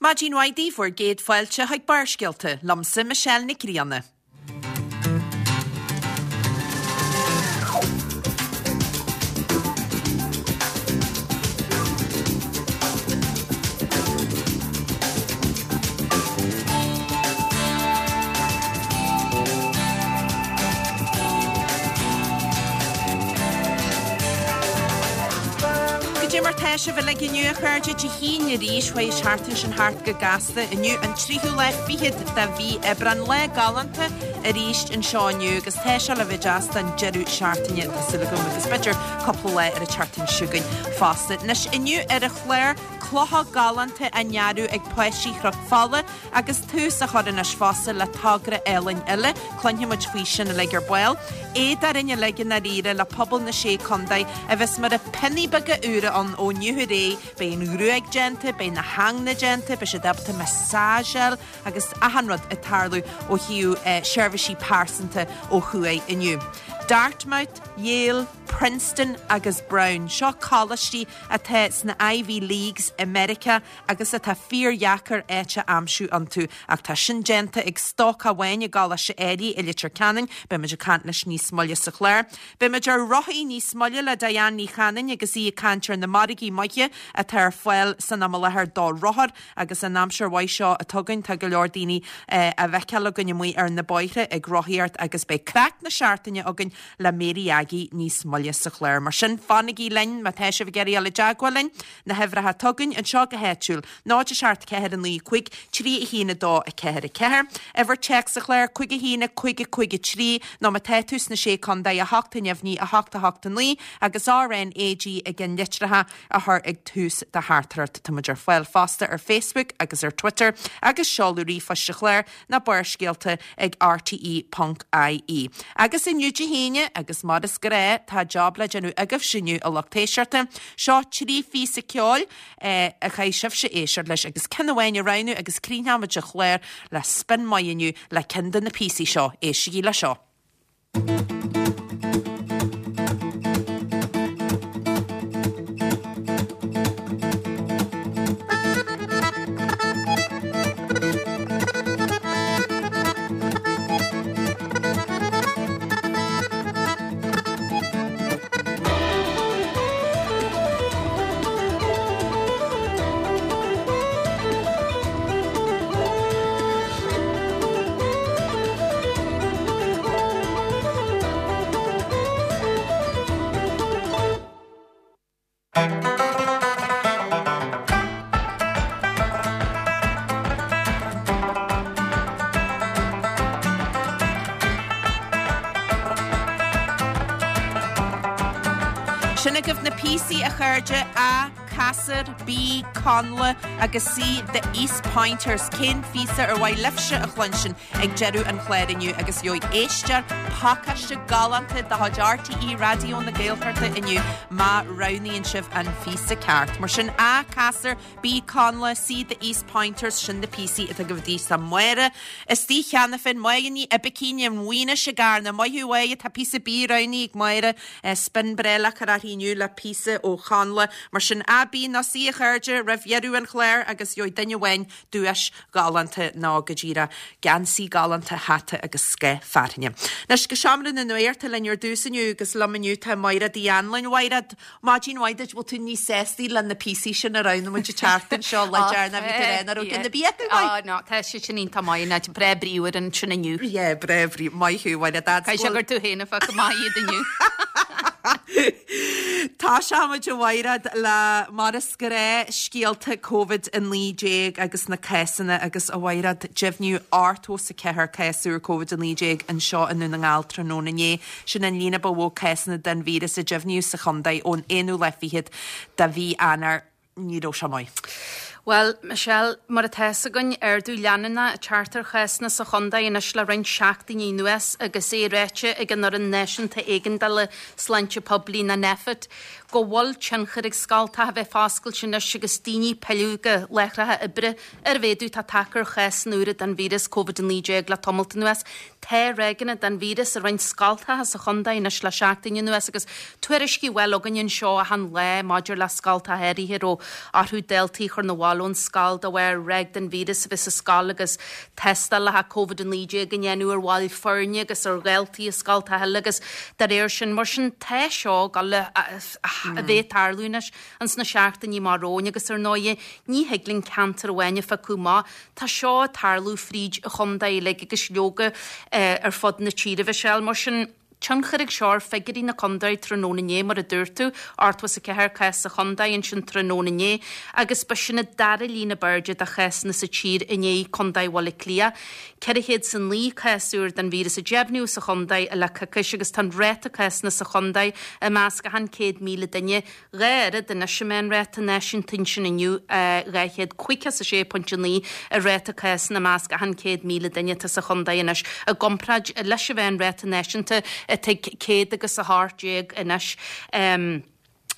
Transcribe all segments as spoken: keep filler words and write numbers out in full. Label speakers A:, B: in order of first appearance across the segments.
A: Maidin mhaith daoibh bhur gcéad fáilte chuig Barrscéalta, liomsa Michelle Nic Grianna. Goidé mar tá sibh uilig inniu a chairde Dé hAoine arís chuaigh an tseachtain sin thart go gasta inniu an tríú lá fichead de mhí Aibreán lá galánta arís anseo inniu agus tá sé le bheith deas don deireadh seachtaine tá súil agam agus b'fhéidir cúpla lá ar an tseachtain seo chugainn fosta. Anois inniu ar an chlár clocha galánta á ndearadh ag páistí Chnoc Fola agus tús á chur anois fosta le togra álainn eile, cluinfidh muid faoi sin uilig ar ball. Éad orainn uilig i ndáiríre le pobal na Sé Contae a bheas mar a pionnaí beaga úra ann ó inniu ar aghaidh, beidh an ghruaig déanta, beidh na hingne déanta, beidh siad ábalta massage agus achan rud ag tarlú ó thaobh seirbhísí pearsanta ó thuaidh inniu. Dartmouth, Yale, Princeton agus Brown. Seo coláistí atá sna Ivy Leagues i Meiriceá agus atá fíordheacair áit a aimsiú iontu. Ach tá sin déanta ag stócach amháin i gColáiste Airí i Leitir Ceanainn, beidh muid ag caint leis níos moille sa chlár. Beidh muid ar rothaí níos moille le Diane Ní Chanainn agus í ag caint ar na margaí maithe atá ar fáil san am i láthair do rothair agus an aimsir mhaith seo atá againn tá go leor daoine á bhfeiceáil againn amuigh ar na bóithre ag rothaíocht agus beidh craic na seachtaine againn le Mary Aggie níos moille sa chlár. Mar sin fanaigí linn má tá sibh ag iarraidh dul i dteagmháil linn, na huimhreacha atá againn anseo go háitiúil, náid a seacht ceathair a naoi cúig trí a haon a dó a ceathair a ceathair, uimhir téacs an chláir cúig a haon a cúig a cúig a trí nó má tá tú sna Sé Contae a hocht a neamhní a hocht a hocht a naoi agus RNAG i gceannlitreacha a chur ag tús do theachtaireacht. Tá muid ar fáil fosta ar Facebook agus ar Twitter agus seoladh ríomhphoist an chláir ná barrscéalta ag rte ponc ie. Agus inniu Dé hAoine, agus mar is gnáth, tá job le déanamh agaibhse inniu a lucht éisteachta. Seo trí phíosa ceoil a chaithfidh sibhse éisteacht leis agus ceann amháin a roghnú agus críochnóimid an clár le spin maith inniu le ceann de na píosaí seo. Éistigí le seo. Sin agaibh na píosaí a chairde, A, Ceasar, B, Connla agus C, The East Pointers. Cén phíosa ar mhaith libhse a chluinstin ag deireadh an chláir inniu agus gheobhaidh éisteoir pacáiste galánta de chuid RTÉ Raidió na Gaeltachta inniu má roghnaíonn sibh an phíosa ceart. Mar sin A, Ceasar, B, Connla, C, The East Pointers, sin na píosaí atá agaibh daoibh. Tá Máire istigh cheana féin, Máire Ní Oibicín i Maínis i gCarna. Maith thú a Mháire, tá píosa B roghnaithe ag Máire, spin breá le cur uirthi inniu le píosa ó Chonnla. Mar sin A, B nó C a chairde roimh dheireadh an chláir agus gheobhaidh duine amháin duais ghalánta nó go díreach geansaí galánta, hata agus scoth fearthainne. Anois go seomra na nuachta linn ar dtús inniu agus liom inniu tá Maighread Uí Anluain. Mhaighread, Maidin mhaith duit, bhfuil tú níos sástaí le na píosaí sin a roghnaigh muid an tseachtain seo le deireanach bhí tú ag rá nach raibh ceann ar bith acu maith?
B: Á no, tá siad sin iontach maith, ná breá bríomhar ansin inniu.
A: Yeah, breá brí, maith thú, Mhaighread.
B: Caithfidh sé gur tú féin a phioc amach iad inniu.
A: Tosóimid a Mhaighread le mar is gnáth scéalta Covid a naoi déag agus na cásanna agus a Mhaighread deimhníodh ochtó is a ceathair cás úr Covid a naoi déag anseo i nDún na nGall tráthnóna inné. Sin an líon ba mhó cásanna den víreas a deimhníodh sa chontae ón aonú lá fichead de mhí Eanáir. Ní raibh sé maith.
B: Bhuel, Michelle, mar atá fhios againn, ardú leanúnach ag teacht ar chásanna sa chontae anois le roinnt seachtainí anuas agus é ráite ag an Fhoireann Náisiúnta Éigeandála Sláinte Poiblí, nó Nphet, go bhfuil tionchar ag scoltacha a bheith foscailte anois agus daoine ag pilleadh go láithreacha oibre ar a mhéadú atá tagtha ar chásanna úra den víreas Covid a naoi déag le tamalt anuas. Tá ráigeanna den víreas i roinnt scoltacha sa chontae anois le seachtain anuas agus tuairiscí a bhfuil againn anseo achan lá maidir le scoltacha áirithe a raibh orthu daltaí a chur 'na bhaile ón scoil de bharr ráig den víreas a bheith sa scoil agus tástálacha Covid a naoi déag a ndéanamh ar bhaill foirne agus ar dhaltaí i scoltacha eile agus dá réir sin. Mar sin tá seo ag dul a bheith ag tarlú anois ins na seachtainí amach romhainn agus ar ndóighe ní thig linn ceantar amháin a phiocadh amach. Tá seo ag tarlú fríd an chontae uilig agus leoga ar fud na tíre, Michelle. Mar sin, tionchar ag seo ar figiúirí na contae tráthnóna inné, mar a dúirt tú, ochtó is a ceathair cás sa chontae ansin tráthnóna inné agus ba sin an dara líon ab airde de chásanna sa tír i ndiaidh Contae Bhaile Átha Cliath. ceithre chéad 's a naoi cás úr den víreas a deimhníodh sa chontae le coicís agus tá an ráta cásanna sa chontae i measc achan céad míle duine dhá oiread anois an meánráta náisiúnta ansin inniu, dhá chéad caoga 's a sé pointe naoi an ráta cásanna i measc achan céad míle duine atá sa chontae anois i gcomparáid leis an mheánráta náisiúnta atá ag céad agus a hocht déag anois.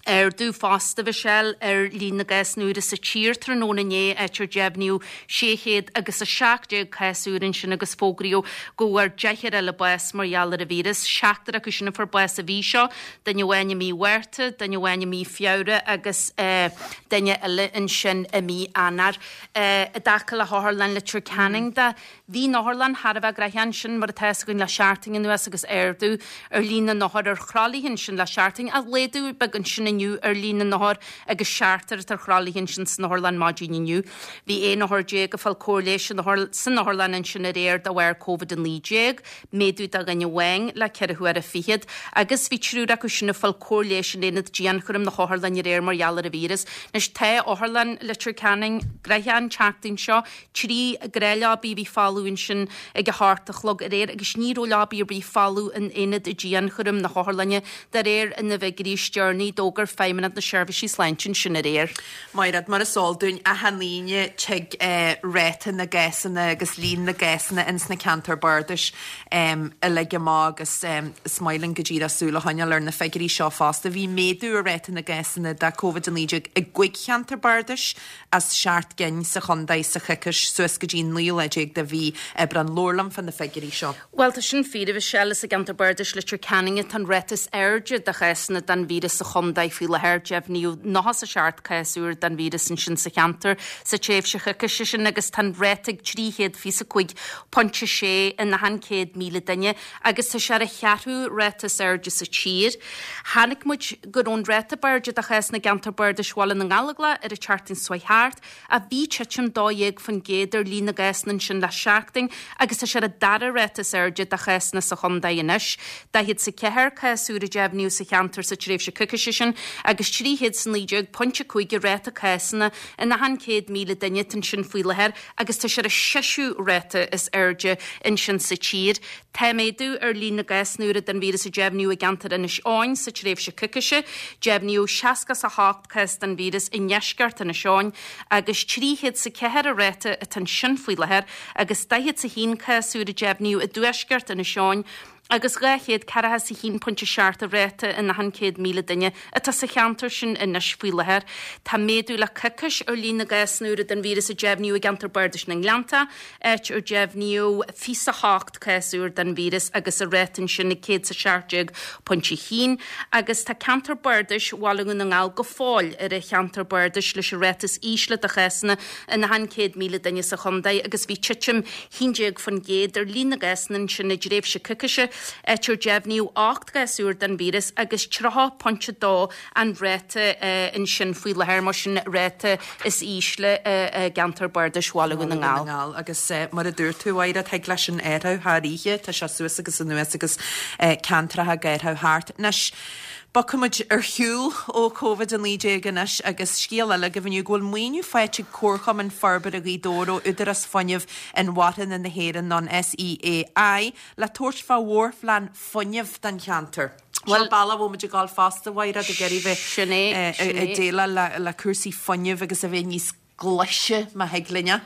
B: Ardú fosta, Mhichelle, ar líon na gcásanna úra sa tír tráthnóna inné, áit ar deimhníodh sé chéad agus a seacht déag cás úr ansin agus fógraíodh go bhfuair deichniúr eile bás mar gheall ar an víreas. Seachtar acu sin a fuair bás an mhí seo, duine amháin i mí Mhárta, duine amháin i mí Feabhra agus duine eile ansin i mí Eanáir. I dtaca le hOtharlann Leitir Ceanainn de, Bhí an otharlann thar a bheith gnoitheach ansin, mar atá fhios againn, le seachtain anuas agus ardú ar líon na n-othar ar thralaithe ansin le seachtain, ach laghdú beag ansin inniu ar líon na n-othar agus seachtar atá ar thralaithe ansin san otharlann maidin inniu. Bhí aon othar déag ag fáil cóir leighis san otharlann ansin aréir de bharr Covid a naoi déag, méadú de dhuine amháin le ceithre huaire fichead, agus bhí triúr acu sin ag fáil cóir leighis in aonad dianchúraim na hotharlainne aréir mar gheall ar an víreas. Anois tá Otharlann Leitir Ceanainn gnoitheach an tseachtain seo, Trí ghnáthleabaí a bhí folamh ansin ag a hocht a chlog aréir agus ní raibh leabaí ar bith folamh in aonad dianchúraim na hotharlainne, de réir na bhfigiúirí is deireanaí, d'fhógair Feidhmeannacht na Seirbhísí Sláinte ansin aréir.
A: Mairéad, mar is eol dúinn, achan Aoine tig ráta na gcásanna agus líon na gcásanna ins na ceantair bardais uilig amach agus is maith linn go díreach súil a choinneáil ar na figiúirí seo fosta. Bhí méadú ar ráta na gcásanna de Covid a naoi déag i gcúig cheantar bardais as seacht gcinn sa chontae sa choicís suas go dtí an naoú lá déag de mhí Aibreán. Labhair liom fá na figiúirí seo.
B: Bhuel, tá sin fíor, a Mhichelle. Is i gceantar bardais Leitir Ceanainn atá an ráta is airde de chásanna den víreas sa chontae faoi láthair. Deimhníodh nócha 's a seacht cás úr den víreas ansin sa cheantar sa tréimhse choicíse sin agus tá an ráta ag trí chéad fiche 's a cúig pointe sé in achan céad míle duine agus tá sé ar an cheathrú ráta is airde sa tír. Chonaic muid go raibh an ráta ab airde de chásanna i gceantar bardais Bhaile na nGallóglach ar an tseachtain seo chuaigh thart, ach bhí titim dó dhéag faoin gcéad ar líon na gcásanna ansin le seachtain agus tá sé ar an dara ráta is airde de chásanna sa chontae anois. Daichead 's a ceathair cás úr a deimhníodh sa cheantar sa tréimhse coicíse sin agus trí chéad 's a naoi déag pointe cúig an ráta cásanna in achan céad míle duine atá ansin faoi láthair agus tá sé ar an seisiú ráta is airde ansin sa tír. Tá méadú ar líon na gcásanna úra den víreas a deimhníodh i gceantar Inis Eoghain sa tréimhse coicíse. Deimhníodh seasca 's a hocht cás den víreas i ndeisceart Inis Eoghain agus trí chéad 's a ceathair an ráta atá ansin faoi láthair agus daichead 's a haon cás úr a deimhníodh i dtuaisceart Inis Eoghain agus dhá chéad ceathracha 's a haon pointe seacht an ráta in achan céad míle duine atá sa cheantar sin anois faoi láthair. Tá méadú le coicís ar líon na gcásanna úra den víreas a deimhníodh i gceantar bardais na nGleannta, áit ar deimhníodh fiche 's a hocht cás úr den víreas agus an ráta ansin ag céad 's a seacht déag pointe a haon agus tá ceantar bardais Bhaile Dhún na nGall go fóill ar an cheantar bardais leis an ráta is ísle de chásanna in achan céad míle duine sa chontae agus bhí titim haon déag faoin gcéad ar líon na gcásanna ansin i dtréimhse coicíse, áit ar deimhníodh ocht gcás úr den víreas agus tríocha pointe dó an ráta ansin faoi láthair, mar sin ráta is ísle i gceantar bardais Bhaile Dhún na nGall.
A: Agus mar a dúirt tú, a Mhairéad, thig leis sin athrú thar oíche, tá sé suas agus anuas agus ceantracha ag athrú thart. Anois, bogfaidh muid ar shiúl ó Covid a naoi déag anois agus scéal eile agaibh inniu go bhfuil maoiniú faighte ag Comharchumann Forbartha Ghaoth Dobhair ó Údarás Fuinnimh Inmharthana na hÉireann, nó an SEAI, le tabhairt fá mhórphlean fuinnimh don cheantar. Seo bealach a bhfuil muid ag dul fosta, a Mhairéad, ag iarraidh bheith ag déileáil le cúrsaí fuinnimh agus a bheith níos glaise, má thig linn é.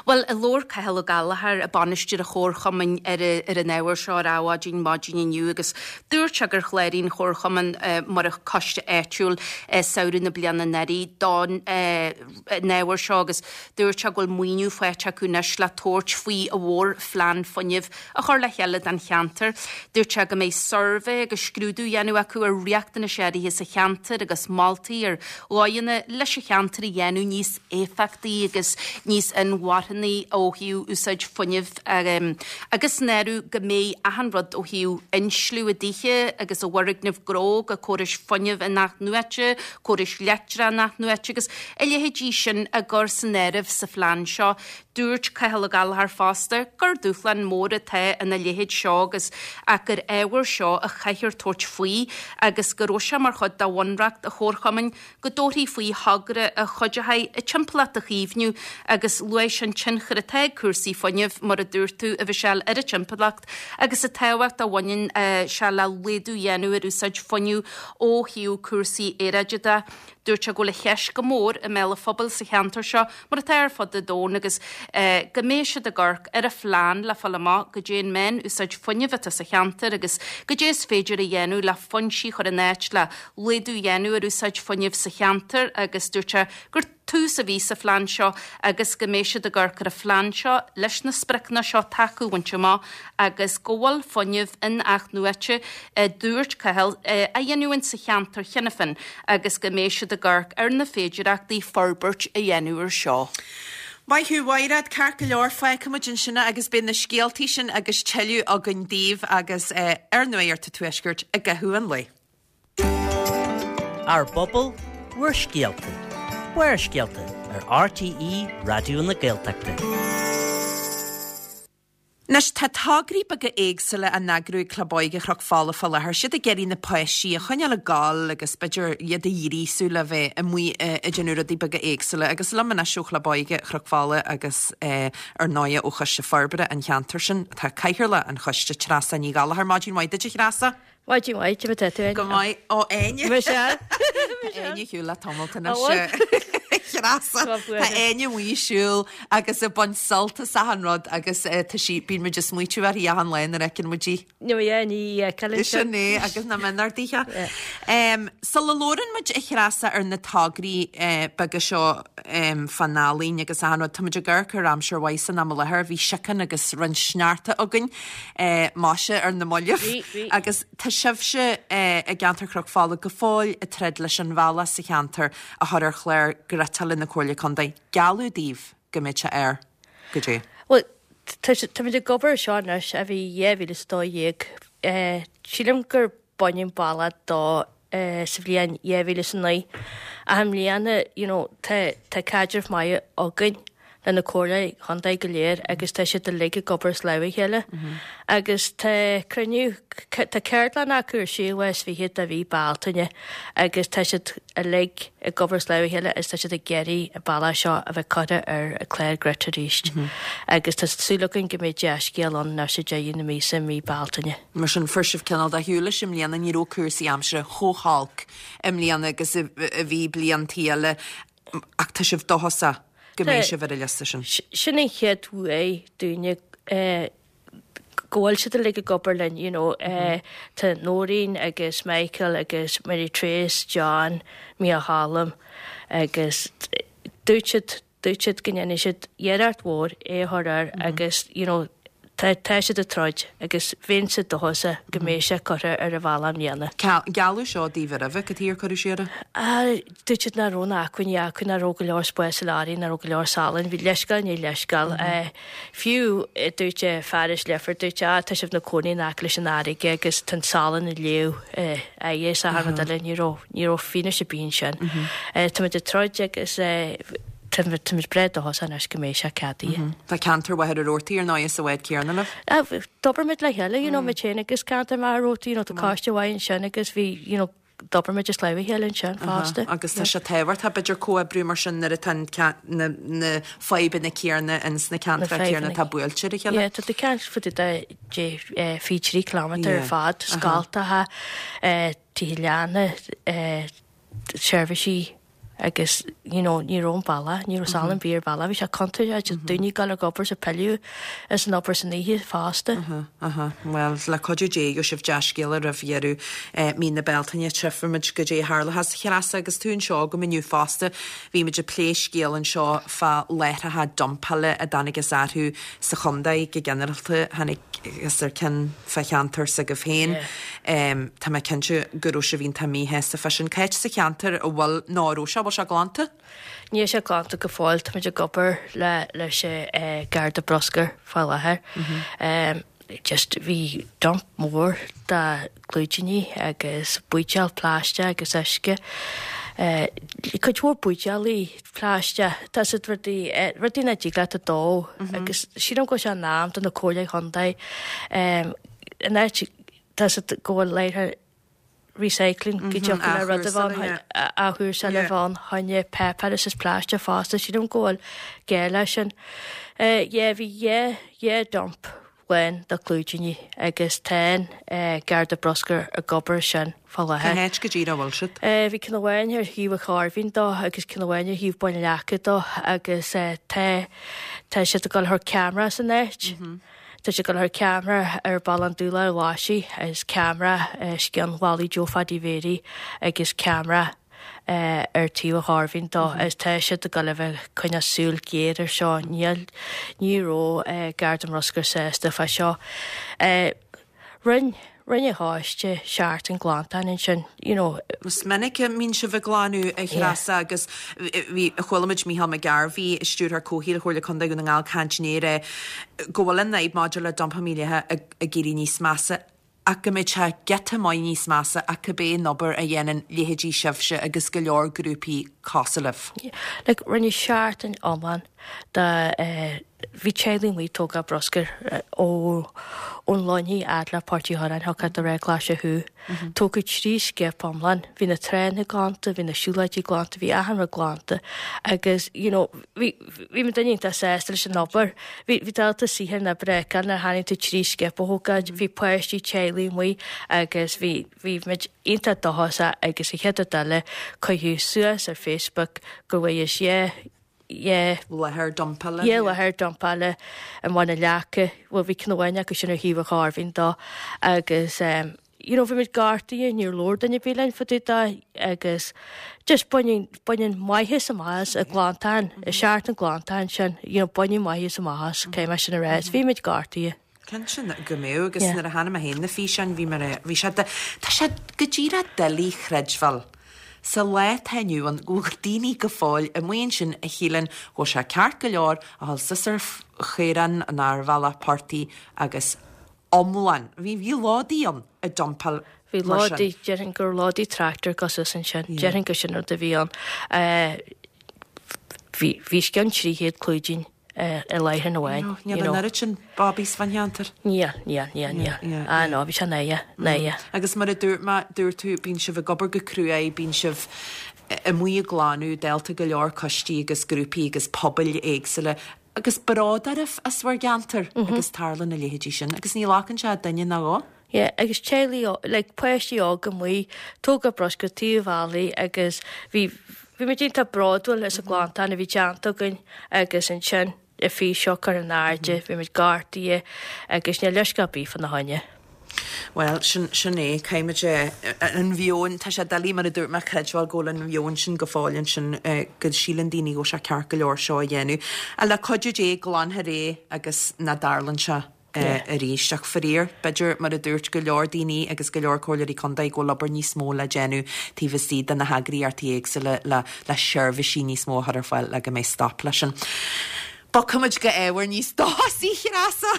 B: Bhuel, labhair Cathal Ó Gallchóir, bainisteoir an chomharchumainn ar ar an ábhar seo ar Adhmhaidin maidin inniu agus dúirt sé gur chláraigh an comharchumann mar choiste áitiúil samhradh na bliana anuraidh don ábhar seo agus dúirt sé go bhfuil maoiniú faighte acu anois le tabhairt faoi a mhórphlean fuinnimh a chur le chéile don cheantar. Dúirt sé go mbeidh suirbhé agus scrúdú á dhéanamh acu ar riachtanais áirithe sa cheantar agus moltaí ar dhóigheanna leis an cheantar a dhéanamh níos éifeachtaí agus níos inmharthanaí ó thaobh úsáid fuinnimh agus san áireamh go mbeidh achan rud ó thaobh insliú i dtithe agus i bhfoirgnimh gnó go córais fuinnimh in-athnuaite, córais leictreach in-athnuaite agus a leithéidí sin á gcur san áireamh sa phlean seo. Dúirt Cathal Ó Gallchóir fosta gur dúshlán mór atá ina leithéid seo agus ach gur ábhar seo a chaithfear tabhairt faoi agus go raibh sé mar chuid de bhunreacht an chomharchumainn go dtabharfaí faoi thogra a chuideoidh an timpeallacht a chaomhnú agus luaigh sé an tionchar atá ag cúrsaí fuinnimh, mar a dúirt tú, a Mhichelle, ar an timpeallacht agus an tábhacht a bhaineann sé le laghdú a dhéanamh ar úsáid fuinnimh ó thaobh cúrsaí aeráide de. Dúirt sé go bhfuil an cheist go mór i mbéal an phobail sa cheantar seo, mar atá ar fud an domhain, agus go mbeidh siad ag amharc ar an phlean le fáil amach goidé an meán-úsáid fuinnimh atá sa cheantar agus goidé is féidir a dhéanamh le foinsí a chur in áit le laghdú a dhéanamh ar úsáid fuinnimh sa cheantar agus dúirt sé gur tús a bhí sa phlean seo agus go mbeidh siad ag amharc ar an phlean seo leis na spriocanna seo atá acu a bhaint amach agus go bhfuil fuinneamh in-athnuaite, a dúirt Cathal, á dhéanamh sa cheantar cheana féin agus go mbeidh siad ag amharc ar na féidireachtaí forbairt a dhéanamh ar seo.
A: Maith thú, Mhaighread, ceart go leor, fágfaidh muid ansin é agus beidh na scéaltaí sin agus tuilleadh againn daoibh agus ar Nuacht an Tuaiscirt i gcaitheamh an lae.
C: Ár bpobal, bhur scéalta. Barrscéalta ar RTÉ Raidió na Gaeltachta.
A: Anois, tá tograí beaga éagsúla á n-eagrú ag Club Óige Chnoc Fola fá láthair. Siad ag iarraidh na páistí a choinneáil ag gabháil agus b'fhéidir iad a ghríosú le bheith amuigh ag déanamh rudaí beaga éagsúla. Agus liom anois ó Chlub Óige Chnoc Fola agus ar ndóighe ó Choiste Forbartha an cheantair sin, tá Cathaoirleach an Choiste, Treasa Ní Ghallchóir. Maidin mhaith duit, a Threasa.
D: Maidin mhaith, cad é mar atá tú Áine?
A: Go maith. Ó, Áine.
D: Michelle.
A: Tá Áine ar shiúl le tamalt anois. Treasa. Tá Áine amuigh ag siúl agus ag baint sult as achan rud agus tá sí, bíonn muid ag smaoitiú uirthi achan lá nuair a fheiceann muid í.
D: Nó yeah, ní fheiceáil
A: Sin é agus na mionardaithe. Sula labhrann muid a Threasa ar na tograí beaga seo fán ealaín agus achan rud, tá muid ag amharc ar aimsir mhaith san am i láthair, bhí síocán agus roinnt sneachta againn, maise ar na mallaibh agus tá sibhse i gceantar Chnoc Fola go fóill ag troid leis an bhealach sa cheantar a chur ar chlár ghriotála na Comhairle Contae. Gealladh daoibh go mbeidh sé air. Goidé.
D: Bhuel, táimid ag obair ar seo anois ó bhí dhá mhíle is a dó dhéag. Sílim gur baineadh an bealach dó sa bhliain dhá mhíle is a naoi. Ach i mbliana, you know, tá tá caidreamh maith againn le na comhairle chontae go léir agus tá siad uilig ag obair as lámh a chéile. Agus tá cruinniú, tá ceardlann acu ar séú lá is fiche de mhí Bealtaine agus tá siad uilig ag obair as lámh a chéile agus tá siad ag iarraidh an bealach seo a bheith curtha ar an chlár grid arís. Agus tá súil againn go mbeidh dea-scéal ann anois ag deireadh na míosa, mí Bealtaine.
A: Mar sin, fuair sibh cineál de shiúl leis i mbliana, ní raibh cúrsaí aimsire chomh holc i mbliana agus a bhí bliantaí eile, ach tá sibh dóchasach go mbeidh sibh ar an liosta sin.
D: Sin an chéad bhuaidh dúinne go bhfuil siad uilig ag obair linn, you know, tá Nóirín agus Michael agus Mary Trace, John, Mícheál Choilm agus dúirt siad, dúirt siad go ndéanfaidh siad iarracht mhór é a chur air agus, you know, tá, tá siad ag troid agus bheinnse dóchasach go mbeidh sé curtha ar an bhealach i mbliana.
A: Gealladh seo daoibh roimhe, cad chuige ar cuireadh siar é?
D: Ah, dúirt siad nach raibh na acmhainní acu, nach raibh go leor spáis sa leoraí, nach raibh go leor salainn, bhí leithscéal i ndiaidh leithscéal. Fiú, dúirt fear as Leifear, dúirt sé, ah, tá sibh 'na cónaí in aice leis an fharraige agus tá an salann ag léamh aghaidh is achan rud eile, ní raibh, ní raibh fianaise ar bith ansin. Táimid ag troid agus táimid breá dóchasach anois go mbeidh sé ceadaithe.
A: Tá ceantar Mhachaire Rabhartaigh ar ndóigh sa bhád céanna libh.
D: D'obair muid le chéile, you know, muid féin agus ceantar Mhachaire Rabhartaigh, you know, tá coiste mhaith ansin agus bhí, you know, d'obair muid as lámh a chéile ansin fosta.
A: Agus tá sé tábhachtach b'fhéidir comhoibriú mar sin nuair atá na na fadhbanna céanna ins na ceantracha céanna atá buailte ar a chéile.
D: Yeah, tá na ceantair fud de fiche trí kilometre ar fad, scoltacha, tithe leanna, seirbhísí agus you know, ní raibh an bealach, ní raibh salann ar bith ar bealach, bhí sé contúirteach, just daoine ag gabháil ag obair is ag pilleadh as an obair san oíche fosta.
A: Aha, Well, le cuidiú Dé gheobhaidh sibh dea-scéala roimh dheireadh eh, mí na Bealtaine tchífimid goidé a tharlóchas. A Threasa agus tú anseo agam inniu fosta, bhí muid ag plé scéal anseo fá láithreacha dumpála a dtáinig as athrú sa chontae go ginearálta tháinig as ar ceann fá cheantar s'agaibh féin. Um, tá mé cinnte go raibh sibh iontach míshásta fá sin cá háit sa cheantar a bhfuil ná raibh sé bhfuil sé glanta?
D: Níl sé glanta go fóill tá muid ag obair le leis eh, Garda Bruscair fá láthair. Um, just bhí dump mór de clúidíní agus buidéal plaisteach agus uisce. Uh, cuid mhór buidéalaí plaisteach tá siad rudaí eh, rudaí nach dtig leat a dó agus sílim go bhfuil sé in am do na comhairle chontae um, in áit tá siad go bhfuil léithe recycling go dtiocfaidh le rud a bheith athúsáil le bheith choinne páipéar is is plaisteach fosta sílim go bhfuil gá leis sin. Uh, yeah, bhí dhá dhá dump lán de clúidíní agus tá uh, Garda Bruscair ag obair sin fá láthair.
A: Cá háit go díreach a bhfuil siad?
D: Uh, bhí ceann amháin ar thaobh an Chairbhín dó agus ceann amháin ar thaobh Bun Leaca dó agus uh, tá tá siad ag dul thar ceamara san áit. Mm -hmm. Tá sé go thar ceamara ar Bhaile an Dúlair Láisi agus ceamara uh, scean Wally Joe Phaddy Mhéirí agus ceamara uh, ar taobh an Chairbhín dó mm -hmm. is tá siad ag dul a bheith coinneáil súil géar ar seo níl ní raibh uh, Garda Bruscair sásta fá seo. Uh, Rinne rinne háiste seart an glantáin ansin you know
A: Is minic a mbíonn sibh ag glanadh a Threasa agus bhí chuala muid Micheál McGarvey stiúrthóir comhshaoil Chomhairle Contae Dhún na nGall ag caint inné go bhfuil an fhadhb maidir le dumpáil mílithe ag éirí níos measa ach go mbeidh sé giota maith níos measa ach cibé an obair a dhéanann leithéidí sibhse agus go leor grúpaí cosúil libh.
D: Like rinne seachtain iomlán de uh, bhí teaghlaigh amuigh ag tógáil bruscar uh, ó ón Luinnigh fhad le Páirc Uí Chorráin thugtha do Ré Glaise Thú. Tógadh trí skip iomlán, bhí na tránna glanta, bhí na siúlóidí glanta, bhí achan rud glanta agus you know, bhí bhí muid iontach sásta leis an obair. Bhí bhí dalta saothair na breca na tháinig tú trí skip a thógáil, bhí páistí teaghlaigh amuigh agus bhí bhí muid iontach dóchasach agus a chéad eile cuireadh suas ar Facebook go bhfuil sé yeah
A: Láthair dumpála.
D: Dhá láthair dumpála i mBun na Leaca, bhuel bhí ceann amháin acu sin ar thaobh an Chairbhín dó agus um, you know, bhí muid gortaithe níor labhair duine ar bith linn fá dtaobh de agus just baineann baineann maitheas amach as an nglantán, i seachtain glantán sin, you know, baineann maitheas amach as cé mar sin a rá, bhí muid gortaithe.
A: Cinnte go mbeadh agus nuair a chonaic mé féin na físeáin bhí mar bhí sé tá sé go díreach doiligh a chreidbheáil. Sa lá atá inniu ann go bhfuil daoine go fóill amuigh ansin a shíleann go bhfuil sé ceart go leor a dhul suas ar chaorán an ar bhealach portaigh agus iomlán. Bhí bhí lódaí ann ag dumpáil
D: Bhí lódaí déarfainn gur lódaí tractor gus ansin, déarfainn go sin rud a bhí ann. Bhí bhí scean trí chéad clúidín i láthair amháin.
A: Níl an oiread sin bobbies fan cheantar.
D: Níl, níl, níl, níl. Ah no, bhí sé náire, náire.
A: Agus mar a dúirt má dúirt tú bíonn sibh ag obair go cruaidh, bíonn sibh amuigh ag glanadh dálta go leor coistí agus grúpaí agus pobail éagsúla agus bród oraibh as bhur gceantar agus tarlaíonn na leithéidí sin agus ní ghlacann sé duine ná dhó.
D: Yeah, agus teaghlaigh like páistí óga amuigh, tógáil bruscar taobh bealaigh agus bhí bhí muid iontach bródúil as an glantán a bhí déanta againn agus ansin i fí seo ar an airde, bhí muid gortaithe agus níl leisce ar bith fána choinne.
A: Well, sin sin é caithfimid an mheon tá sé doiligh mar a dúirt mé creidbheáil go bhfuil an mheon sin go fóill ansin go síleann daoine go bhfuil sé ceart go leor seo a dhéanamh. A le cuidiú Dé glanfar é agus ná tarlaíonn sé arís ach faraor, b'fhéidir mar a dúirt go leor daoine agus go leor comhairleoirí contae go bhfuil obair níos mó le déanamh taobh istigh de na heagraíochtaí éagsúla le le seirbhísí níos mó a chur ar fáil le go mbeidh stop leis sin. Bogfaimid go ábhar níos dóchasaí Treasa.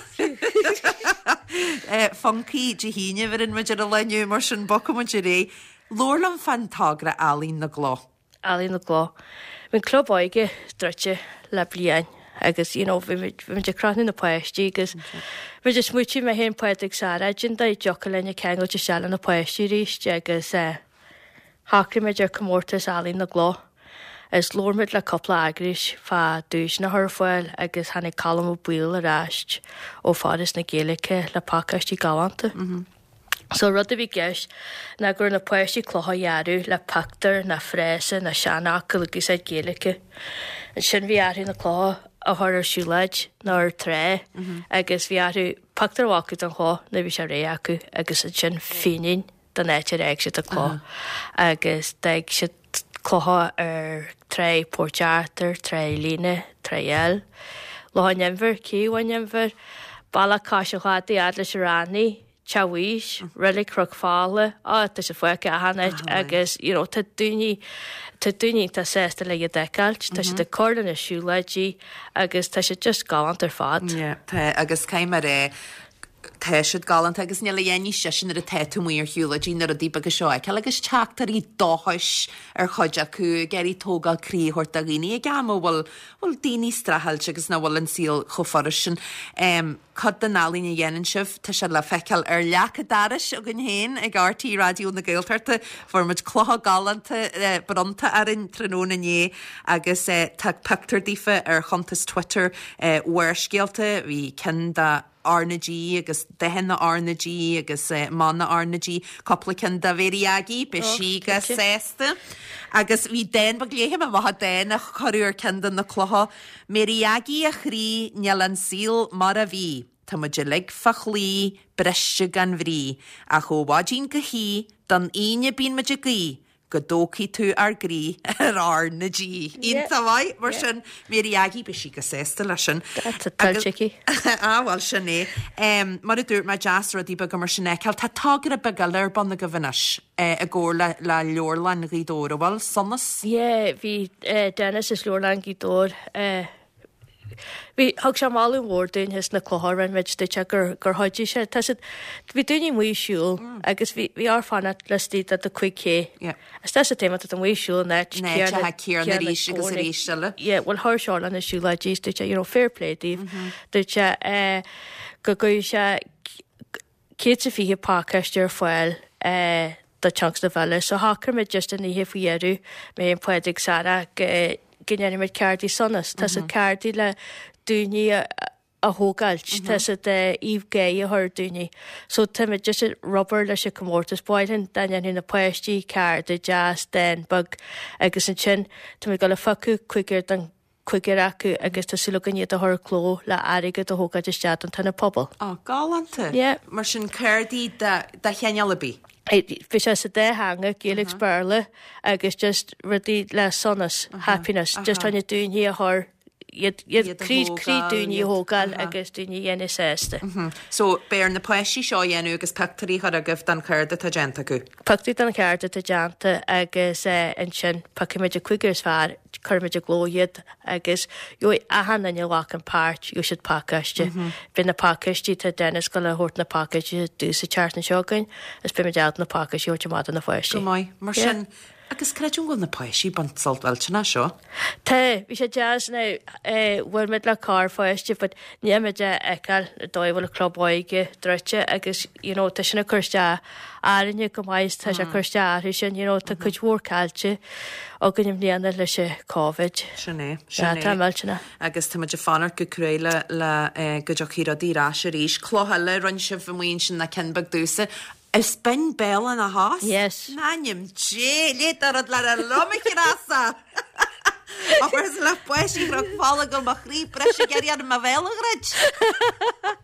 A: Funcaí Dé hAoine a bheireann muid ar an lá inniu mar sin bogfaimid ar aghaidh. Labhair liom fán togra Ealaín na gCloch.
D: Ealaín na gCloch. Bhí an club óige druidte le bliain agus you know, bhí muid ag crothnú na páistí agus bhí muid smaointigh mé féin Pádraig Sarah da dtiocfadh linn ceangailt isteach le na páistí arís agus eh, shocraigh muid ar comórtas Ealaín na gCloch. Is labhair muid le cúpla eagrais fá duaiseanna a chur ar fáil agus tháinig Colm Ó Baoill ar ais ó Foras na Gaeilge le pacáistí galánta. Mm -hmm. So rud a bhí i gceist ná go raibh na páistí clocha a dhearadh le pictiúr ná frása ná seanfhocal ag úsáid Gaeilge. Ansin bhí orthu na clocha a chur ar siúlóid nó ar trá agus bhí orthu pictiúr a ghlacadh den chloch nuair a bhí sé réidh acu agus ansin fianáin don áit ar fhág siad an cloch agus d'fhág siad clocha ar trá Port Arthur, Trá Líne, Trá Eil, Loch an Inbhir, Cé an Inbhir, Bealach Cois an Chladaigh fhad leis an Raithnigh, Teach Mhaois, Reilig Chnoc Fola, á tá sé fágtha achan áit agus you know tá daoine tá daoine iontach sásta le iad a fheiceáilt, tá siad ag cur le na siúlóidí agus tá siad just galánta ar fad.
A: Yeah, tá agus caithfidh mé a rá tá siad galánta agus níl a dhath níos deise nuair atá tú amuigh ar shiúlóidí na rudaí beaga seo a fheiceáil agus teachtairí dóchais ar chuid acu ag iarraidh tógáil croí a thabhairt do dhaoine ag am a bhfuil bhfuil daoine streachailt agus nach bhfuil an saol chomh furast sin. Um, cuid den ealaín a dhéanann sibh, tá sé le feiceáil ar leac an dorais againn féin ag RTÉ Raidió na Gaeltachta, fuair muid clocha galánta eh, bronnta orainn tráthnóna inné agus eh, tá pictiúr daofa ar chuntas Twitter eh, Bharrscéalta, bhí ceann de R na G agus dathanna R na G agus eh, mana R na G, cúpla ceann de Mhéirí Aggie, beidh sí go sásta. Agus bhí dán beag léifidh mé amach dán a cuireadh ar ceann de na clocha, Mary Aggie a chroí níl an saol mar a bhí, Tá muid uilig fá chlaí briste gan bhrí, ach ó mhaidin go hoíche don Aoine bíonn muid ag guí, go dtógfaidh tú ár gcroí ar R na G. Iontach maith mar sin Mary Aggie beidh sí go sásta leis sin.
D: Tá tuillte aici.
A: Á bhuel sin é. Um, mar a dúirt mé deas rudaí beaga mar sin a fheiceáil, tá togra beag eile ar bun agaibh anois eh, i gcomhar le, le Leabharlann Ghaoth Dobhair, an bhfuil Sonas?
D: Yeah, bhí eh, Dennis is Leabharlann Ghaoth Dobhair eh, Bhí thug sé moladh mór dúinn thíos na clocha rinne muid dúirt sé gur gur chuidigh sé tá siad bhí daoine amuigh ag siúl agus bhí bhí ár fanacht laistigh de do cúig cé.
A: Yeah.
D: Is tá sa téama tá amuigh ag siúl in áit
A: In áit atá céanna arís agus arís eile.
D: Yeah, well chuir seo na siúlóidí dúirt sé you know, fair play daoibh. Dúirt sé eh, go gcuirfidh sé céad is fiche pacáiste ar fáil eh, do tionscnamh eile. So shocraigh muid just an oíche faoi dheireadh mé an Pádraig Sarah go go ndéanfaimid cártaí sonas. Tá siad cártaí le daoine a a thógáilt, Tá siad aoibh gé a chur daoine. So táimid just ag obair leis an comórtas báin dá ndéanfaidh na páistí cárta deas dán beag agus ansin táimid ag dul a phiocadh cúigear den cúigear acu agus tá súil againn iad a chur i gcló le airgead a thógáilt isteach don tionad pobail.
A: Á, galánta.
D: Yeah.
A: Mar sin cártaí de, de chineál ar bith.
D: Bhí sé sa dá theanga, Gaeilge uh Béarla agus just rudaí le sonas, happiness, just chun daoine a chur iad iad
A: Iad a
D: croí croí
A: thógáil,
D: daoine a
A: iad-
D: thógáil agus daoine a dhéanamh sásta.
A: So beidh ar na páistí seo a dhéanamh agus pictiúirí a chur agaibh den chárta atá déanta acu.
D: Pictiúr den chárta atá déanta agus eh, ansin piocfaimid an cúigear is fearr, cuirfimid i gcló iad agus gheobhaidh achan duine a ghlacann páirt, gheobhaidh siad pacáiste. Beidh na pacáistí tá Dennis ag dul a thabhairt na pacáistí dúinn sa tseachtain seo chugainn, is beimid ábalta na pacáistí a thabhairt amach do na páistí.
A: Go maith, mar
D: Yeah.
A: sin agus creidim go bhfuil na páistí ag baint sult mhillteanach as seo.
D: Tá, bhí sé deas now eh, bhuail muid le corrpháiste, but ní muid a fheiceáil an dóigh a bhfuil an club óige druidte agus you know, tá sin ag cur isteach orainne go maith, tá sé ag cur isteach orthu sin, you know, tá cuid mhór caillte againn i mbliana leis an Covid.
A: Sin é, sin
D: Yeah,
A: é.
D: tá millteanach.
A: Agus tá muid ag fanacht go cruaidh le le eh, go dtiocfaidh rudaí ar ais arís. Cloch eile rinne sibh amuigh ansin na cinn beag domhsa. Is binn béal ina thos?
D: Yes.
A: M'anam Dé, léigh rud le liom a Threasa. Agus le páistí Chnoc Fola go mo chroí briste ag iarraidh mo bhéal a dhruid.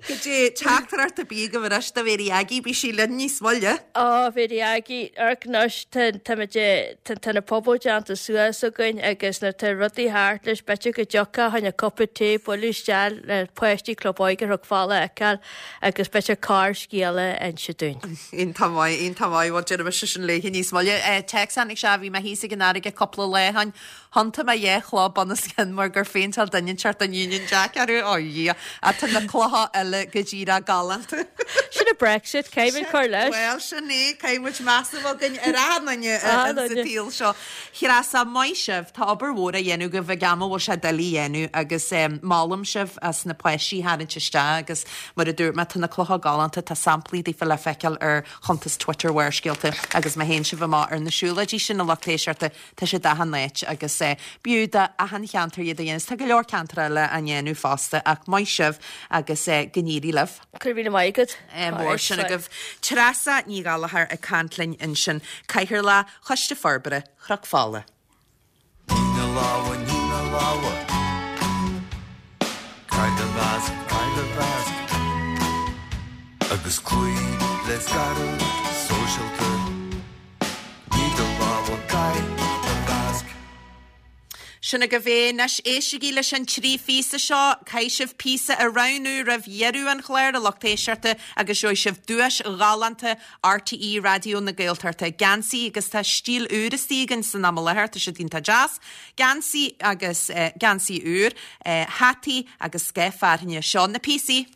A: Go dtí teachtaireacht ar bith agaibh anois do Mhéirí Aggie, bhí sí linn níos moille.
D: Ó, Mhéirí Aggie, anois tá na puball déanta suas againn agus nuair tá rudaí thart leis b'fhéidir go dtiocfá chun cupa tae bualadh isteach le páistí club óige Chnoc Fola a fheiceáil agus b'fhéidir corrscéal a inse dúinn.
A: Iontach maith, iontach maith, bhuel déarfaidh mise sin léi níos moille. Téacs tháinig sé bhí mé thíos ag an fharraige cúpla lá ó shin. Thiontaigh mé dhá chloch bunoscionn mar gur phéinteáil duine inteacht an Union Jack orthu ó Dhia, a tá na clocha eile go díreach galánta.
D: Sin a Brexit, caithfimid cur leis.
A: Well sin é caithfimid meas a bheith againn ar achan duine
D: Achan
A: sa
D: duine.
A: tsaol seo. Threasa maith sibh tá obair mhór á dhéanamh agaibh ag am a bhfuil sé doiligh a dhéanamh agus um, molaim sibh as na páistí a tharraingt isteach agus mar a dúirt mé tá na clocha galánta tá samplaí daofa le feiceáil ar chuntas Twitter Bharrscéalta agus má théann sibh amach ar na siúlóidí sin a lucht éisteachta tá sé achan áit agus eh, b'fhiú do achan cheantar iad a dhéanamh. Tá go leor ceantar eile á ndéanamh fosta ach maith sibh agus eh, go go n-éirí libh.
D: Go raibh míle maith agat.
A: Mór sin agaibh. Treasa Ní Ghallchóir ag caint linn ansin, Cathaoirleach Choiste Forbartha Chnoc Fola.
E: Nigh do lámha, nigh do lámha. Caith do mhasc, caith do mhasc. Agus cloígh le scaradh sóisialta. Nigh do lámha, caith do mhasc.
A: Sin agaibh é anois éistigí leis an trí phíosa seo, caithfidh sibh píosa a roghnú roimh dheireadh an chláir a lucht éisteachta agus gheobhaidh sibh duais ghalánta RTÉ Raidió na Gaeltachta. Geansaí agus tá stíl úr istigh againn san am i láthair, tá siad iontach deas. Geansaí agus eh, geansaí úr, eh, hataí agus scáth fearthainne. Seo na píosaí.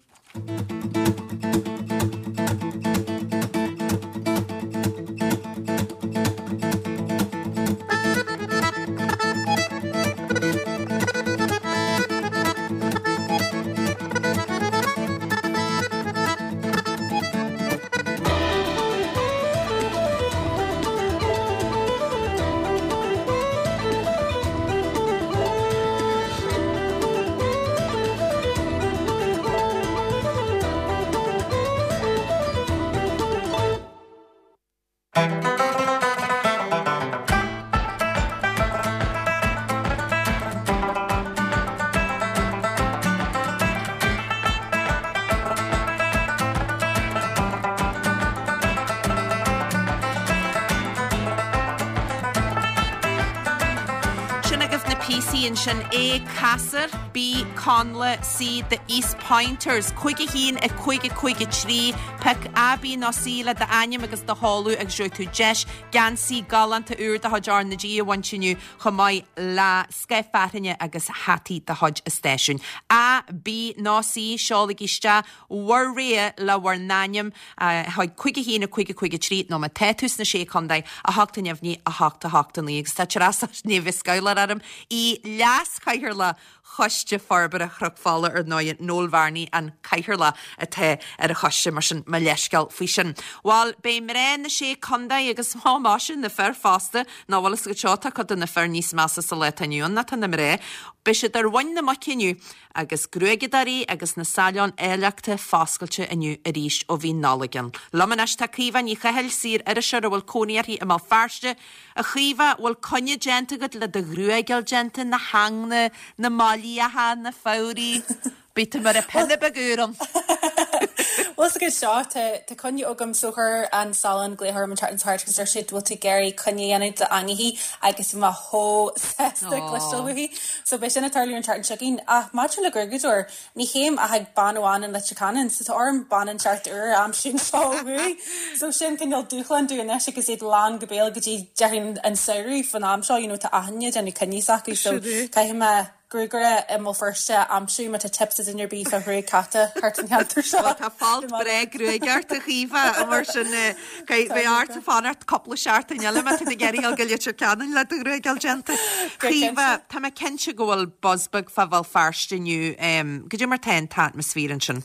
A: Sin agaibh na píosaí ansin A Ceasair, B Connla, C The East Pointers, cúig a haon a cúig a cúig a trí, pioc A, B nó C le d'ainm agus do sheoladh agus gheobhaidh tú deis geansaí galánta úr de chuid R na G a bhaint inniu chomh maith le scáth fearthainne agus hataí de chuid an stáisiúin. A, B nó C seolaigí isteach bhur rogha le bhur n-ainm chuig cúig a haon a cúig a cúig a trí nó má tá tú sna sé chontae a hocht a neamhní a hocht a hocht a naoi agus tá Treasa ní bheidh scaoileadh orm í leas-chathaoirleach Choiste Forbartha Chnoc Fola ar ndóigh Noel Varney an cathaoirleach atá ar an choiste mar sin mo leithscéal faoi sin. Bhuel beidh mná na sé chontae agus má sin na fir fosta ná bhfuil go seo tá cuid de na fir níos measa sa lá atá inniu ann ná tá na mná. Beidh siad ar mhuin na muice inniu agus gruaigeadóirí agus na salóin áilleachta foscailte inniu arís ó bhí Nollaig ann. Liom anois tá Caoimhe Ní Chathail saor-iriseoir a bhfuil cónaí uirthi i mBéal Feirste. A Chaoimhe bhfuil coinne déanta agat le do ghruaig a fháil déanta na hanna, na mailíocha, na fabhraí, Bí tú mar a pena beag an.
F: Well go seo tá coinne agam so chuir an salon glaoch orm an tseachtain seo agus deir siad bhfuil tú ag iarraidh coinne a dhéanamh d'angaí agus má chomh sásta cloisteáil uaithi. So beidh sin ag tarlú an tseachtain seo chugainn ach maidir le gruaigeadóir ní théim ach ag bean amháin in Leitir Ceanainn, so tá orm bean inteacht úr aimsiú seo uaidh. So sin cineál dúshlán dom anois agus iad lán go béal go dtí déarfainn an samhradh fan am seo, you know, tá achan duine ag déanamh coinní s'acu so caithfidh mé gruagaire i mBéal Feirste aimsiú má tá tips ag duine ar bith fá ghruaig cata thart an cheantar seo.
A: Tá fáilt breá gruaige ort a Chaoimhe mar sin beidh ort fanacht cúpla seachtain eile má tá tú ag iarraidh go Leitir Ceanainn le do ghruaig a fháil déanta. Caoimhe tá mé cinnte go bhfuil buzz beag fá Bhéal Feirste inniu cad é mar tá an t-atmaisféar ansin.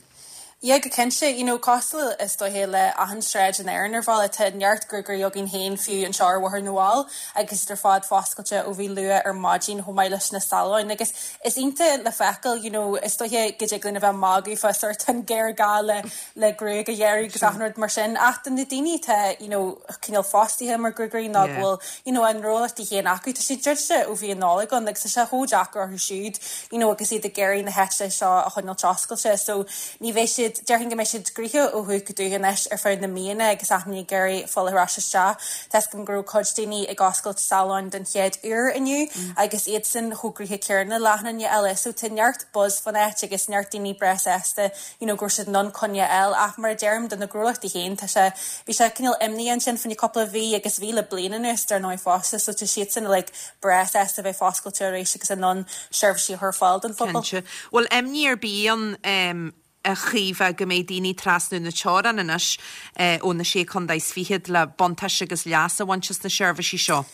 F: Yeah, go cinnte, you know, cosúil is dóiche le achan sráid in Éirinn ar bhealach tá neart gruagairí againn féin fiú anseo ar Bhóthar na bhFál agus ar fad foscailte ó bhí luath ar maidin chomh maith leis na salóin agus is iontach le feiceáil you know, is dóiche go dtig linn a bheith magadh fá sort an géarghá le le gruaig a ghearradh agus achan rud mar sin ach do na daoine atá you know, cineál fostaithe mar gruagairí ná go bhfuil you know, an gnólachtaí féin acu tá siad druidte ó bhí an Nollaig ann agus tá sé chomh deacair orthu siúd you know, agus iad ag iarraidh na háite seo a choinneáil oscailte so ní bheidh siad déarfainn go mbeidh siad gnoitheach ó thuaidh go dtuaidh anois ar feadh na míonna agus achan duine ag iarraidh fáil ar ais isteach. Tá go raibh cuid daoine ag oscailt salóin den chéad uair inniu agus iad sin chomh gnoitheach céanna le achan duine eile, so tá neart buzz fan áit agus neart daoine breá sásta you know, go raibh siad in ann coinne a fháil ach mar a deirim do na gnólachtaí féin tá sé bhí sé cineál imní ansin fá choinne cúpla mhí agus bhí le bliain anuas dar ndóigh fosta so tá siad sin like, breá sásta bheith foscailte arís agus in ann seirbhísí a chur ar fáil don phobal.
A: Cinnte. Bhfuil imní ar bith ann um, a Chaoimhe go mbeidh daoine trasnú na teorann anois eh, ó na sé chontae is fichead le buntáiste agus leas a bhaint as na seirbhísí seo.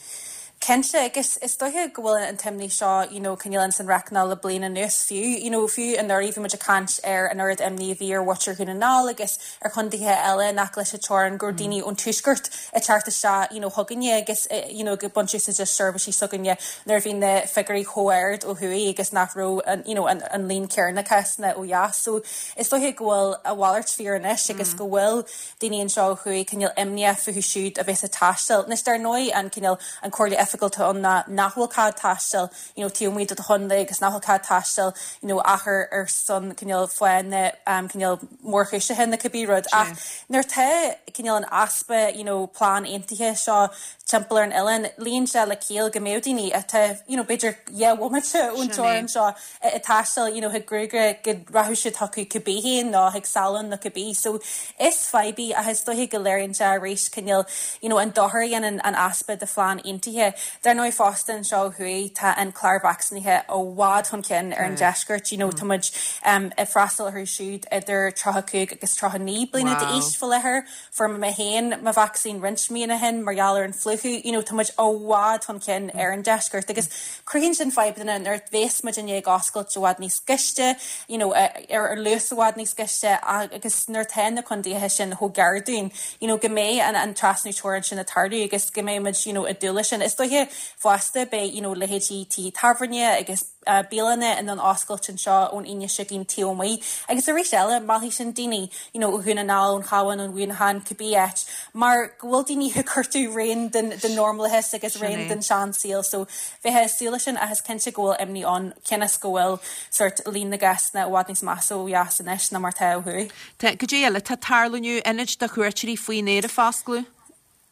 F: Cinnte, agus is dóiche go bhfuil an t-imní seo you know, cineál ins an reacnál le bliain anuas fiú, you know, fiú anuraidh bhí muid ag caint ar an oiread imní a bhí ar mhuintir Dhún na nGall agus ar chontaetha eile nach leis an teorainn go raibh daoine ón tuaisceart ag teacht isteach you know, chugainne agus eh, you know, ag baint úsáid as seirbhísí s'againne nuair a bhí na figiúirí chomh ard ó thuaidh agus nach raibh an, you know, an, an líon céanna cásanna ó dheas. So is dóiche go bhfuil a mhalairt fíor anois agus go bhfuil daoine anseo ó thuaidh cineál imníoch fúthu siúd a bheas ag taisteal. Anois dar ndóigh an cineál an comhairle oifigiúil atá ann ná nach bhfuil cead taisteal you know, taobh amuigh de do chontae agus nach bhfuil cead taisteal you know, ach ar son cineál fáthanna um, cineál mórchúiseacha nó cibé rud. Ach nuair atá cineál an easpa you know, plean aontaithe seo timpeall ar an oileán, luíonn sé le ciall go mbeadh daoine atá you know, b'fhéidir dhá bhomaite ón teorainn seo ag taisteal you know, chuig gruagaire go rachadh siad chucu cibé féin nó chuig salon nó cibé. So is fadhb í ach is dóiche go léiríonn sé arís cineál you know, an dochar a dhéanann an easpa de phlean aontaithe. Dar ndóigh fosta anseo ó thuaidh tá an clár vacsaínithe i bhfad chun cinn ar an deisceart. You know, tá muid um, ag freastal orthu siúd idir tríocha cúig agus tríocha naoi bliana d'aois faoi láthair. Fuair mé féin mo vacsaín roinnt míonna ó shin mar gheall ar an phlúchadh, you know, tá muid i bhfad chun cinn ar an deisceart agus cruthaíonn sin fadhbanna nuair a bheas muid i ndiaidh oscailt i bhfad níos gaiste, you know, ar ar luas i bhfad níos gaiste agus nuair atá na contaetha sin chomh gar dúinn, you know, go mbeidh an, an trasnú teorann sin ag tarlú agus go mbeidh muid you know, ag dúil leis sin. Is dóiche fosta beidh you know, leithéidí tithe tábhairne agus uh, bialanna in ann oscailt anseo ón Aoine seo chugainn taobh amuigh. Agus arís eile meallfaidh sin daoine you know, ó Dhún na nGall, ón Chabhán, ón Mhuineachán, cibé áit, mar go bhfuil daoine ag cuartú rian den, den normalachas agus rian den seansaol, so bheifeá ag súil leis sin ach is cinnte go bhfuil imní ann cionn is go bhfuil sort líon na gcásanna i bhfad níos measa ó dheas anois ná mar atá ó thuaidh.
A: Tá goidé eile tá ag tarlú inniu ionaid do chuairteoirí faoin aer ag foscladh.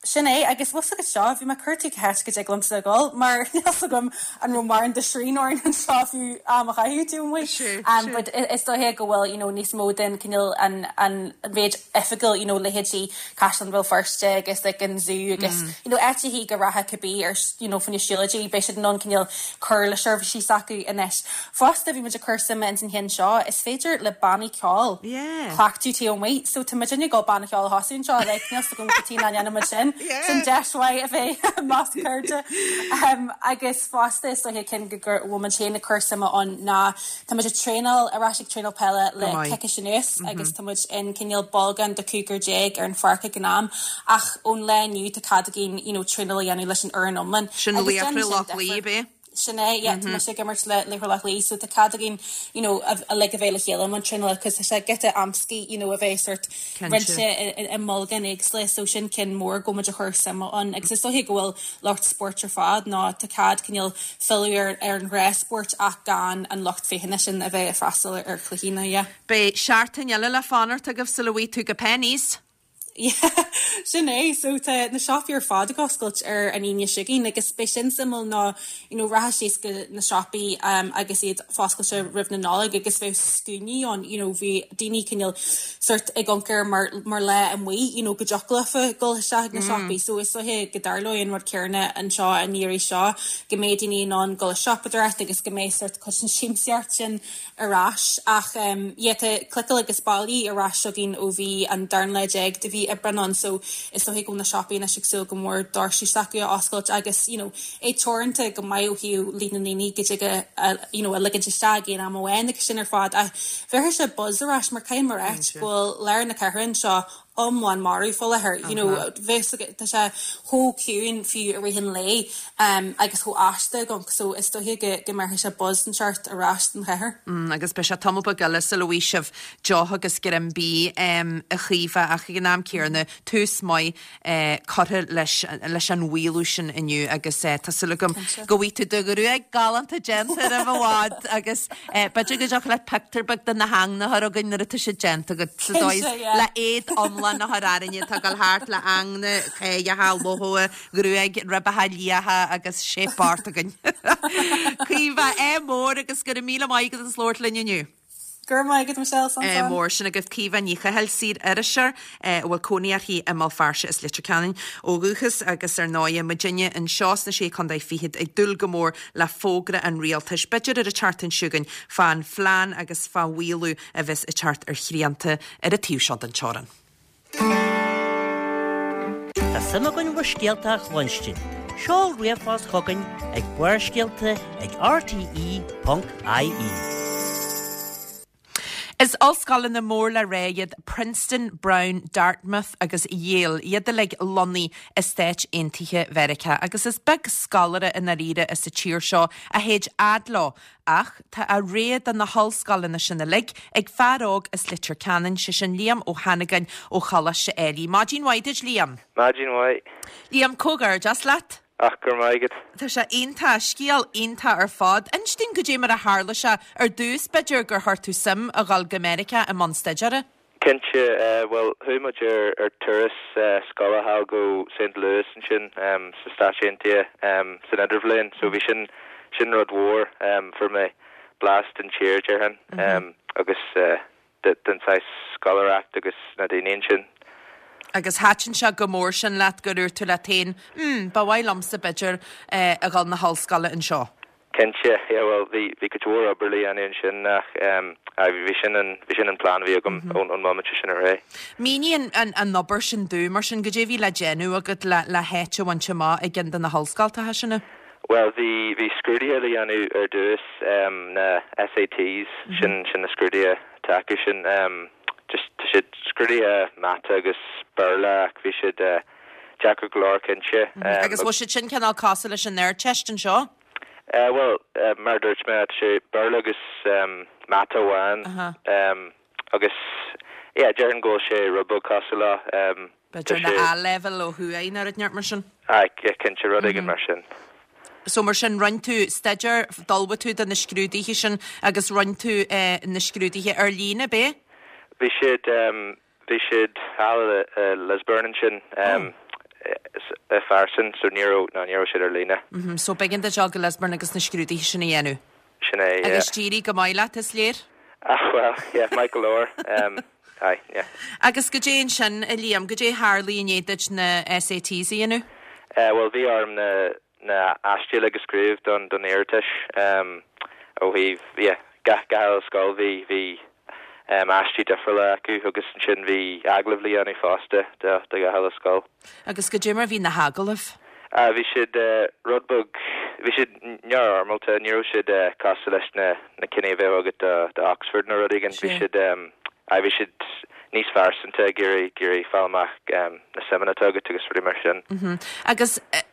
F: Sin é agus bhfuil agus seo bhí mé ag cuartú cá háit go dtig liomsa dul mar níl a fhios agam an raibh mórán de srian orainn anseo fiú am a chaitheamh taobh amuigh. Um, but is dóiche go bhfuil you know, níos mó den cineál an, an mhéid oifigiúil you know, leithéidí Caisleán Bhéal Feirste agus like, an zoo agus mm. you know, áiteachaí go rachadh cibé ar you know, fá choinne siúlóidí beidh siad in ann cineál cur le seirbhísí s'acu anois. Fosta bhí muid ag cur suime ins an cheann seo is féidir le bannaí ceoil
A: Yeah.
F: cleachtadh taobh amuigh, so tá muid ag dul banna ceoil a thosú anseo like, níl a fhios agam cad chuige nach ndéanann muid sin. Sin deis mhaith a bheith i measc cairde. Um, agus fosta is dóiche cinn go gur bhfuil muid féin ag cur suime ann ná tá muid ag traenáil ar ais ag traenáil peile le
A: maith.
F: coicís anuas agus tá muid in cineál bolgán de cúigear déag ar an pháirc ag an am ach ón lá inniu tá cead againn you know, traenáil a dhéanamh leis an fhoireann iomlán.
A: Sin
F: Agus
A: Laochra
F: déanann sin
A: Loch
F: difear.
A: Lao, bé?
F: Sin é, yeah, tá mise ag imirt le Laochra Loch Lao, so tá cead againn you know, a, a le a bheith le chéile mar traenáil cos tá sé giota amscaí you know, a bheith sort
A: Cinnte.
F: roinnte i, i, i mbolgán éagsúla, so sin cinn mór go muid a chur suime ann agus is dóiche go bhfuil lucht spóirt ar fad ná tá cead cineál filleadh ar, ar an ghnáthspórt ach gan an lucht féachana sin a bheith ag freastal ar, ar chluichí na yeah.
A: Beidh seachtain eile le fanacht agaibh sula bhfaighidh tú go Penneys.
F: Yeah, sin é so tá na siopaí ar fad ag oscailt ar an Aoine seo chugainn agus beidh sin suimiúil ná you know, rachadh síos go na siopaí um, agus iad foscailte roimh na Nollag agus bheadh scuainí ann you know, bhí daoine cineál sort ag amharc air mar, mar lá amuigh you know, go dtiocfadh leofa dul isteach na siopaí so is dóiche go dtarlóidh an rud céanna anseo an iarraidh seo go mbeidh daoine in ann dul ag siopadóireacht agus go mbeidh sort cuid den siamsaíocht sin ar ais ach um, yeah, tá cliceáil agus bailigh ar ais againn ó bhí an darna lá déag de mhí Aibreán ann so is dóiche go bhfuil na siopaí anois ag súil go mór doirse s'acu a oscailt agus you know, é teoranta go maith ó thaobh líon na ndaoine go dtig a, a, you know, a ligint isteach aon am amháin agus sin ar fad ach bheirfidh sé buzz ar ais mar caithfidh mé a rá go bhfuil lár na cathrach anseo iomlán marbh faoi láthair you know, bheith tá sé chomh ciúin fiú i rith an lae um, agus chomh aisteach agam so is dóiche go go mbeirfidh sé buzz an seort ar ais den chathair.
A: Mm, agus beidh sé tamall beag eile sula bhfaighidh sibh deoch agus greim bídh um, a Chaoimhe ach ag an am céanna tús maith eh, curtha leis, leis an mhaolú sin inniu agus eh, tá súil agam go bhfaighidh tú do ghruaig galánta déanta roimh i bhfad agus eh, b'fhéidir go dtiocfadh leat pictiúr beag de na heangna a chur chugainn nuair atá sé déanta agat sa dóigh
F: Cinnte, yeah.
A: le éad iomlán a chur orainne tá dul thart le heangna céidheacha lothóa gruaig ribeacha liatha agus shape ort againn. Caoimhe é mór agus go raibh míle maith agat as labhairt linn inniu.
F: Gur maith agat Michelle san
A: Eh, mór sin agaibh Caoimhe Ní Chathail saor-iriseoir eh, a bhfuil cónaí uirthi i mBéal Feirste is Leitir Ceanainn ó dhúchas agus ar ndóigh muidinne anseo sna sé chontae fichead ag dúil go mór le fógra an rialtais. B'fhéidir ar an tseachtain seo chugainn fán phlean agus fá mhaolú a bheas ag teacht ar shrianta ar an taobh seo den teorainn.
C: Tá suim againn bhur scéalta a chluinstin. Seol ríomhphost chugainn ag Barrscéalta ag R T E ponc I E.
A: Is ollscoileanna mór le rá iad Princeton, Brown, Dartmouth agus Yale, iad uilig lonnaithe i Stáit Aontaithe Mheiriceá, agus is beag scoláire i ndáiríre sa tír seo a théid fhad leo, ach tá a rogha de na hollscoileanna sin uilig ag fear óg as Leitir Ceanainn, sé sin Liam Ó hAnnagáin ó Choláiste Ailigh. Maidin mhaith duit, Liam.
G: Maidin mhaith.
A: Liam, comhghairdeas leat.
G: Ach gur maigad.
A: Tá sé iontach, scéal iontach ar fad. Inis dúinn goidé mar a tharla sé ar dtús, b'fhéidir, gur chuir tú suim a dhul go Meiriceá i mbun staidéara.
G: Cinnte, uh, well, chuaigh muid ar ar turas uh, scoile thall go Saint Louis ansin um, sa Stáit Aontaithe um, san idirbhliain, so bhí sin sin rud mhór um, fuair mé blas den tír déarfainn mm -hmm. um, agus uh, den saghas scoláireacht agus na daoine ansin.
A: Agus thaitin sé go mór sin leat go dúirt tú leat féin, mm, ba mhaith liomsa b'fhéidir eh, a dhul na hollscoile anseo.
G: Cinnte, yeah, well, bhí bhí go leor obair le déanamh ansin ach um, bhí sin an bhí sin an plan bhí agam mm -hmm. ón ón moment sin ar é.
A: Mínigh an, an, an obair sin dom mar sin, goidé bhí le déanamh agat le le háit a bhaint amach i gceann de na hollscoileanna sin.
G: Well, bhí bhí scrúduithe le déanamh ar dtús um, na S A Ts mm -hmm. sin sin na scrúduithe atá sin um, just siad scrúduithe mata agus Béarla, bhí siad uh, deacair go leor cinnte.
A: Mm -hmm. Agus bhfuil siad sin cineál cosúil leis an Ardteist anseo?
G: Uh, well, uh, mar dúirt mé sé Béarla agus um, mata amháin uh -huh. um, agus yeah, déarfainn go bhfuil sé rud beag cosúil le um,
A: B'fhéidir na A-level ó thuaidh nó rud mar sin?
G: Cinnte, rud éigin mar sin.
A: So mar sin rinne tú staidéar, d'ullmhaigh tú do na scrúduithe sin agus rinne tú eh, na scrúduithe ar líne bé?
G: Bhí siad um, bhí siad thall uh, Lisburn ansin um, oh. farsin, so ní ná ní siad ar líne.
A: Mm -hmm. So b'éigean duit dul go Lisburn agus na scrúduithe sin a dhéanamh.
G: Sin é.
A: Agus d'éirigh go maith leat, is léir?
G: Ah, well, yeah, Michael Orr. Um, aye, yeah.
A: Agus goidé ansin, a Liam, goidé tharla i ndiaidh duit na S A Ts a dhéanamh?
G: Uh, well, bhí orm na na aistí a scríobh don don iarratas um, ó thaobh yeah, gach gach scoil bhí bhí um, aistí difriúla acu agus ansin bhí agallamh le déanamh fosta de de gach scoil.
A: Agus goidé mar bhí na hagallaimh?
G: Uh, bhí siad uh, rud beag, bhí siad neamhfhoirmeálta, ní raibh siad uh, cosúil leis na na cinn a bheadh agat de, de Oxford nó rud éigin, bhí siad um, bhí siad níos phearsanta, ag iarraidh ag iarraidh fáil amach um, na suimeanna agat agus rudaí mar sin.
A: Mm -hmm. Agus uh,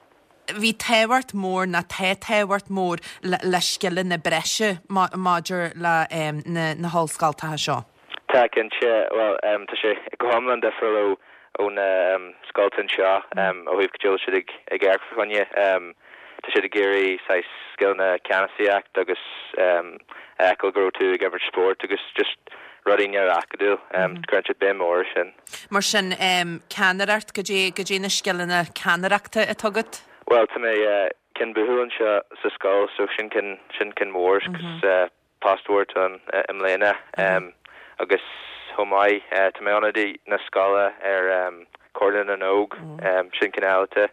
A: bhí tábhacht mór na tá tábhacht mór le, le scileanna breise maidir le um, na, na hollscoileanna seo.
G: Tá, cinnte, well um, tá sé go hiomlán difriúil ó ó na um, scoileanna seo um, ó thaobh go bhfuil siad ag ag amharc fá choinne um, tá siad ag iarraidh saghas scileanna ceannasaíocht agus um, feiceáil go raibh tú ag imirt spórt agus just rudaí neamhacadúil um, cuireann siad béim mór sin.
A: Mar sin um, ceannaireacht, goidé goidé na scileanna ceannaireachta atá agat?
G: Well, tá mé uh, ceann buachaill anseo sa scoil, so sin ceann sin ceann mór mm -hmm. uh, post mór an uh, i mbliana mm -hmm. um, agus chomh maith uh, tá mé ionadaí na scoile ar um, Comhairle na nÓg mm. um, sin ceann eile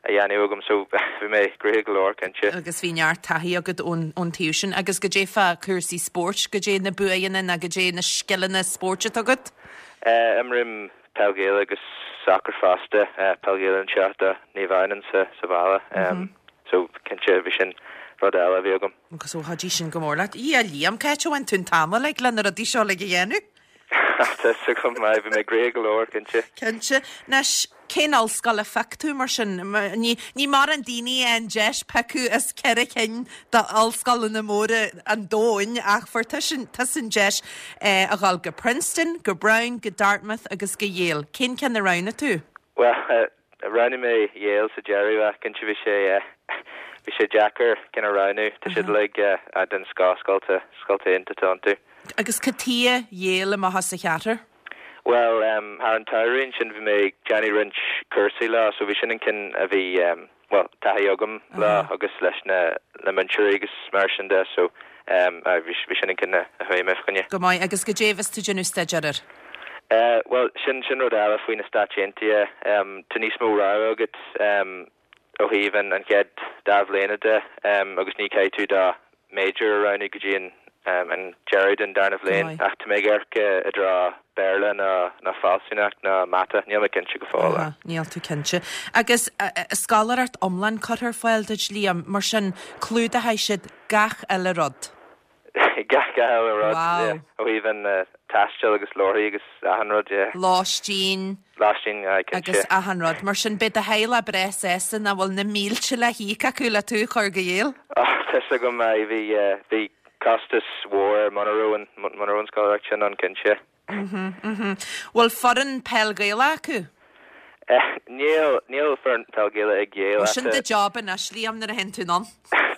G: a dhéanamh agam, so bhí mé gnoitheach go leor, cinnte.
A: Agus bhí neart taithí agat ón ón taobh sin. Agus goidé fá cúrsaí spóirt, goidé na buanna na goidé na scileanna spóirt atá agat?
G: Uh, Imrím peil Ghaelach agus soccer fosta, uh, peil Ghaelach anseo do Naomh Adhamhnáin sa sa bhaile um, mm -hmm. so cinnte bhí sin rud eile bhí agam.
A: Agus ó chuidigh sin go mór leat. I a Liam, cá bhfuair tú an t-am le le na rudaí seo le dhéanamh?
G: Go maith, bhí mé gnoitheach go leor, cinnte.
A: Cinnte. Anois, cén ollscoil a phioc tú mar sin? ní ní mar an daoine an deis piocadh as ceithre cinn d'ollscoileanna móra an domhain, ach fuair tusa an deis eh, a dhul go Princeton, go Brown, go Dartmouth agus go Yale. Cén ceann a roghnaigh tú?
G: Well, uh, roghnaigh mé Yale sa deireadh, ach cinnte bhí sé uh, bhí sé deacair ceann a roghnú, tá siad uilig uh, den scoth, scoileanna scoileanna iontacha iontu.
A: Agus cad chuige Yale amach as a cheathair?
G: Well, um, thar an tsamhradh sin bhí mé ag déanamh roinnt cúrsaí leo, so bhí sin an ceann a bhí um, well, taithí agam uh -huh. le agus leis na na múinteoirí agus mar sin de, so um, bhí sin an ceann a chuaigh mé fá choinne.
A: Go maith. Agus goidé bhí tú ag déanamh staidéar air?
G: Uh, well, sin sin rud eile faoi na Stáit Aontaithe, um, tá níos mó rogha agat um, ó thaobh an an chéad dá bhliain de um, agus ní caithfidh tú do major a roghnú go dtí an an deireadh den darna bhliain ach tá mé ag amharc i dtreo Béarla nó nó fealsúnacht nó mata, níl mé cinnte go fóill.
A: Aha, níl tú cinnte. Agus scoláireacht iomlán curtha ar fáil duit Liam, mar sin clúdóidh siad gach uile rud.
G: Gach uile rud, yeah. Ó thaobh an taistil agus leabharthaí agus achan rud, yeah.
A: Lóistín.
G: Lóistín, aye, cinnte.
A: Agus achan rud. Mar sin beidh do theaghlach breá sásta nach bhfuil na mílte le híoc acu le tú a chur go Yale.
G: Oh, tá 'fhios agam, aye, bhí, bhí costas mhór muna raibh an, muna raibh an scoláireacht sin ann, cinnte.
A: Mhm, mhm. Bhfuil foireann peil Gaelach acu?
G: Níl, níl foireann peil Gaelach ag Yale.
A: Sin do job anois, Liam, nuair a théann tú anonn.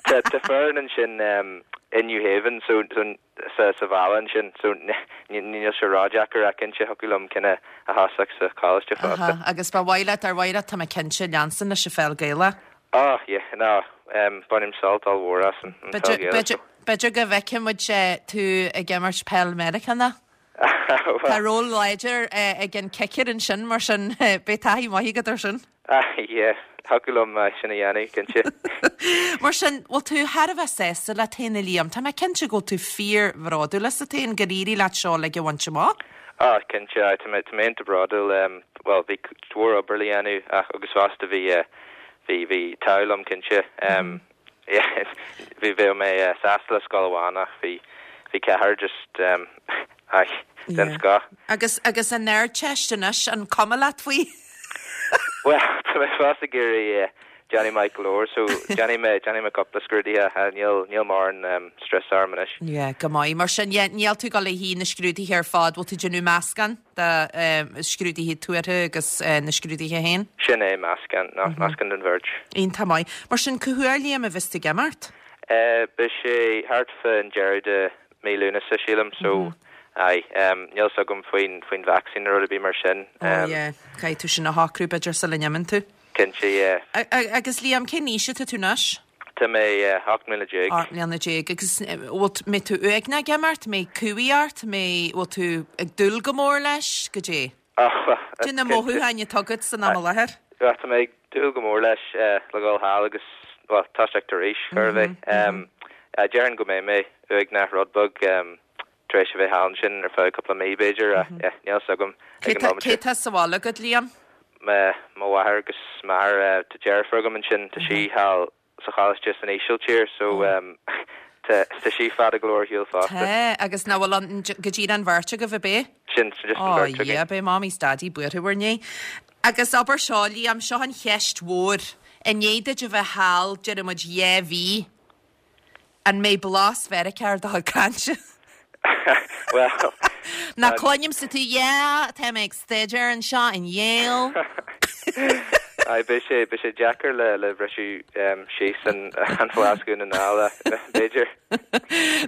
G: Tá tá foireann ansin i New Haven so so sa sa bhaile ansin so níl sé ródheacair ach cinnte thiocfadh liom cinneadh a thosach sa choláiste fosta.
A: Aha, agus ba mhaith leat ar mhaith leat tá mé cinnte leanstan leis an pheil Gaelach.
G: Oh yeah, no, um, bainim sult ollmhór as an an pheil Gaelach.
A: B'fhéidir b'fhéidir go bhfeicfidh muid tú ag imirt peil Meiriceánach. Tá ról láidir ag an kicker ansin mar sin beidh taithí maith agat ar sin.
G: Ah, yeah, thiocfadh liom sin a dhéanamh, cinnte.
A: Mar sin, bhfuil tú thar a bheith sásta leat féin a Liam? Tá mé cinnte go bhfuil tú fíorbhródúil asat féin gur éirigh leat seo uilig a bhaint amach.
G: Ah, cinnte, tá mé tá mé iontach bródúil. Um, well, bhí mhór obair le dhéanamh ach agus fosta bhí bhí bhí an t-ádh liom cinnte. Um, yeah, bhí bheadh mé sásta le scoil amháin ach bhí bhí ceathair just um, aye, den scoth.
A: Agus agus an Ardteist anois an cuma leat faoi?
G: Well, tá mé fós ag iarraidh déanamh maith go leor, so déanfaidh mé déanfaidh mé cúpla scrúduithe, níl níl mórán um, stress orm anois.
A: Yeah, go maith. Mar sin, yeah, níl tú ag dul a shuí na scrúduithe ar fad, bhfuil tú déanamh meascán de um, scrúduithe tuartha agus uh, na scrúduithe féin?
G: Sin é meascán, no, meascán den bheirt.
A: Iontach maith. Mar sin, cá huair Liam a bheas tú ag imeacht?
G: Uh, beidh sé thart fán deireadh de mí Lúnasa sílim, so aye, um, níl 'fhios agam faoin faoin vaccine nó rud ar bith mar sin.
A: Oh, yeah, caithfidh tú sin a shocrú b'fhéidir sula n-imíonn tú.
G: Cinnte, yeah.
A: A- a- Agus Liam, cén aois atá tú anois?
G: Tá mé uh, ocht mbliana déag.
A: Ocht mbliana déag agus bhfuil mbeidh tú uaigneach ag imeacht, mbeidh cumhaidh ort, mbeidh bhfuil tú ag dúil go mór leis, goidé.
G: Oh,
A: Cad é na mothúcháin atá agat san am i láthair?
G: Well, tá mé ag dúil go mór leis uh, le dhul thall agus well, toiseacht arís chor a bheith. Um, uh, Déarfainn go mbeidh mé uaigneach rud beag um, tar éis a bheith thall ansin ar feadh cúpla mí b'fhéidir, uh, yeah, níl 'fhios agam ag an móimint
A: Cé tá sa bhaile agat Liam?
G: Me mo mháthair agus m'athair uh, tá deirfiúr agam ansin tá sí thall sa choláiste san Ísiltír so um, tá tá sí fada go leor ar shiúl fosta.
A: Tá agus ná bhfuil an go dtí an bheirt agaibh ab ea?
G: Sin sin just an
A: Oh,
G: bheirt againn.
A: yeah, beidh mamaí is daidí buartha bhur ndiaidh. Agus abair seo Liam seo an cheist mhór. I ndiaidh duit a bheith thall déarfaidh muid dhá mhí. An mbeidh blas Mheiriceá ar do chuid cainte?
G: Well,
A: Ná cluinimse tú yeah, tá mé ag staidéar anseo in Yale.
G: Aye, beidh sé beidh sé deacair le le briseadh um, síos an an bhlas Dhún na nGall b'fhéidir.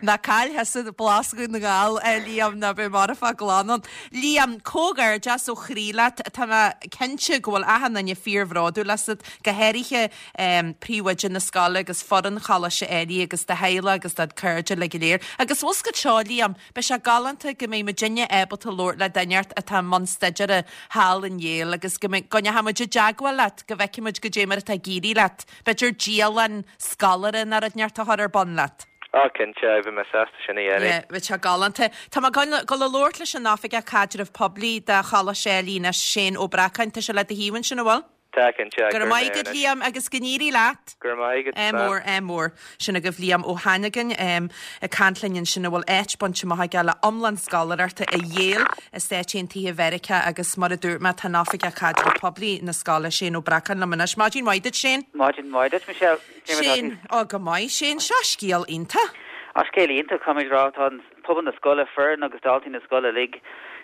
A: Ná caill thusa blas Dhún na nGall Liam ná beidh marfach glan ann. Liam, comhghairdeas ó chroí leat tá mé cinnte go bhfuil achan duine fíorbhródúil asat go háirithe um, príomhoide na scoile agus foireann Choláiste Ailigh agus do theaghlach agus do chairde le go léir. Agus bhfuil go seo Liam, beidh sé galánta go mbeidh muidinne ábalta labhairt le duine atá i mbun staidéir thall in Yale agus go mbeidh go ndeachaimid i dteagmháil leat go bhfeicfimid goidé mar atá ag éirí leat. B'fhéidir dialann scoláire nó rud inteacht a chur ar bun leat.
G: Á cinnte bheinn sásta sin a dhéanamh.
A: Yeah, bheadh sé galánta. Tá mé ag dul a labhairt leis an Oifigeach Caidreamh Poiblí de Choláiste Ailigh anois Shane Ó Breacáin tá sé le do thaobh ansin an bhfuil?
G: Tá cinnte
A: Go raibh maith agat Liam agus go n-éirí leat.
G: Go raibh maith agat.
A: É mór é mór sin agaibh Liam Ó hAnagain um, ag caint linn ansin a bhfuil áit bainte amach aige le iomlán scoláireachta i Yale i Stáit Aontaithe Mheiriceá agus mar a dúirt mé tá an Oifigeach Caidreamh Poiblí na scoile Shane Ó Breacáin liom anois. Maidin mhaith duit Shane?
H: Maidin mhaith duit Michelle.
A: Shane ó go maith Shane seo scéal iontach.
H: Á scéal iontach caithfimid a rá tá pobal na scoile foireann agus daltaí na scoile uilig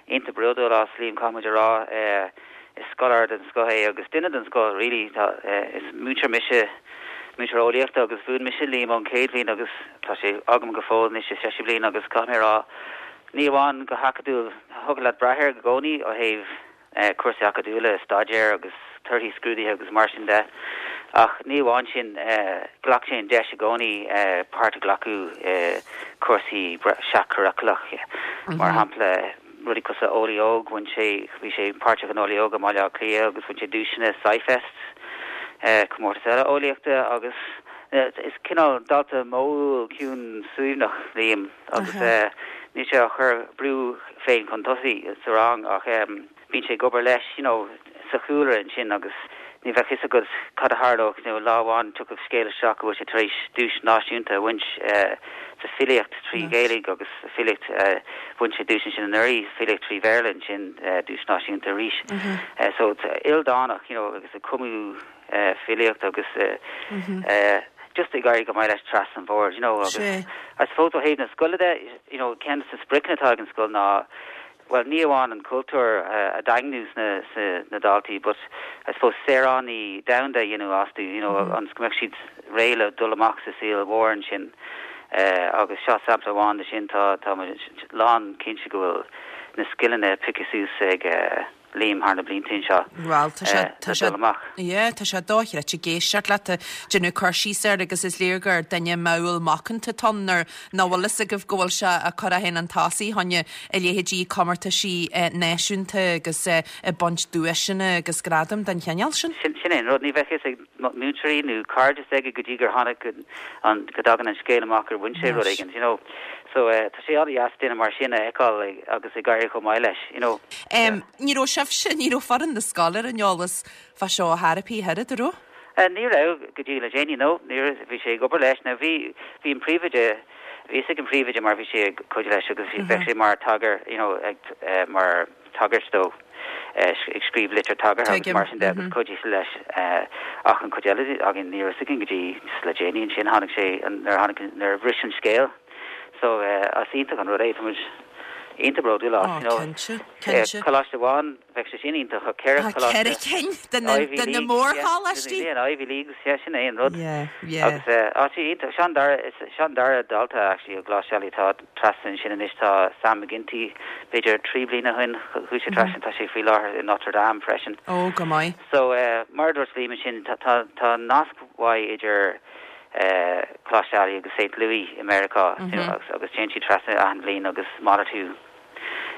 H: iontach bródúil as Liam caithfimid a rá eh, is scoláire den scoth é agus duine den scoth really tá eh, is múinteoir mise múinteoir eolaíochta agus mhúin mise Liam ón chéad bhliain agus tá sé agam go fóill anois sa séú bliain agus caithfidh mé rá ní amháin go hacadúil thig leat brath air i gcónaí ó thaobh eh, cúrsaí acadúla staidéir agus torthaí scrúduithe agus mar sin de ach ní amháin sin eh, ghlac sé an deis i gcónaí eh, páirt a ghlacadh eh, cúrsaí seach-churaclach mar shampla rudaí cosúil le Eolaí Óg bhain sé bhí sé páirteach in Eolaí Óg i mBaile Átha Cliath agus bhain sé duaiseanna SciFest eh, comórtas eile eolaíochta agus Is cineál dalta modhúil ciúin suaimhneach Liam agus níl sé á chur brú féin chun tosaigh sa rang ach bíonn sé ag obair leis you know sa chúlra ansin agus ní bheadh fhios agat cad a tharlódh you know lá amháin tiocfaidh scéal isteach go bhfuil sé tar éis duais náisiúnta a bhaint sa filíocht trí Ghaeilge agus filíocht bhain sé duais ansin anuraidh filíocht trí Bhéarla ansin duais náisiúnta arís. So ildánach you know agus ag cumadh filíocht agus just ag éirí go maith leis trasna an bhord you know agus I suppose ó thaobh na scoile de you know ceann de na spriocanna atá ag an scoil ná well ní amháin an cultúr a dhaingniú sna na daltaí but I suppose saoránaigh domhanda you know astu you know ionas go mbeadh siad réidh le dul amach sa saol mhór ansin agus seo sampla amháin de sin tá tá lán cinnte go bhfuil na scileanna pioctha suas ag Liam thar na blianta anseo.
A: Well tá sé tá sé
H: amach.
A: Yeah, tá sé dochreidte ag éisteacht leat ag déanamh cur síos air agus is léir gur duine modhúil macánta atá ann nuair nach bhfuil fhios agaibh go bhfuil sé ag cur é féin chun tosaigh fá choinne a leithéidí comórtaisí náisiúnta agus ag baint duaiseanna agus gradaim den chineál sin.
H: Sin sin é an rud ní bheadh fhios ag múinteoirí nó cairde aige go dtí gur tháinig an go dtagann an scéal amach gur bhain sé rud éigin, you know. So uh, tá sé an-deas duine mar sin a fheiceáil agus ag éirí chomh maith leis, you know.
A: Um, ní raibh sibhse ní raibh foireann na scoile ar an eolas fá seo ar bith an raibh?
H: Uh, ní raibh go dtí le déanaí no, ní bhí sé ag obair leis na bhí bhí an príomhoide bhí ag an príomhoide mar bhí sé ag cuidiú leis agus bhí bheadh sé mar tagar you know, ag, uh, mar tagairt dó uh, ag scríobh litir tagartha agus mar sin de agus cuidiú leis uh, ach an chuid eile againn ní raibh againn go dtí le déanaí ansin tháinig sé nuair tháinig nuair bhris an scéal. So uh, as iontach an rud é muid iontach bródúil as
A: you know cinnte
H: Coláiste amháin bheadh sé sin iontach a ceithre
A: ceithre cinn de na mórcholáistí
H: Ivy League sé sin é an rud
A: agus
H: iontach sin dara sin dara dalta actually ó Choláiste Ailigh tá trasna sin anois tá Sam McGinty b'fhéidir trí bliana ó shin chuaigh sé trasna tá sé faoi láthair in Notre Dame freisin.
A: Ó go maith.
H: So uh, mar dúirt Liam sin tá tá nasc mhaith idir uh, Coláiste Ailigh agus St. Louis i America mm -hmm. agus, agus téann siad trasna achan bhliain agus malartú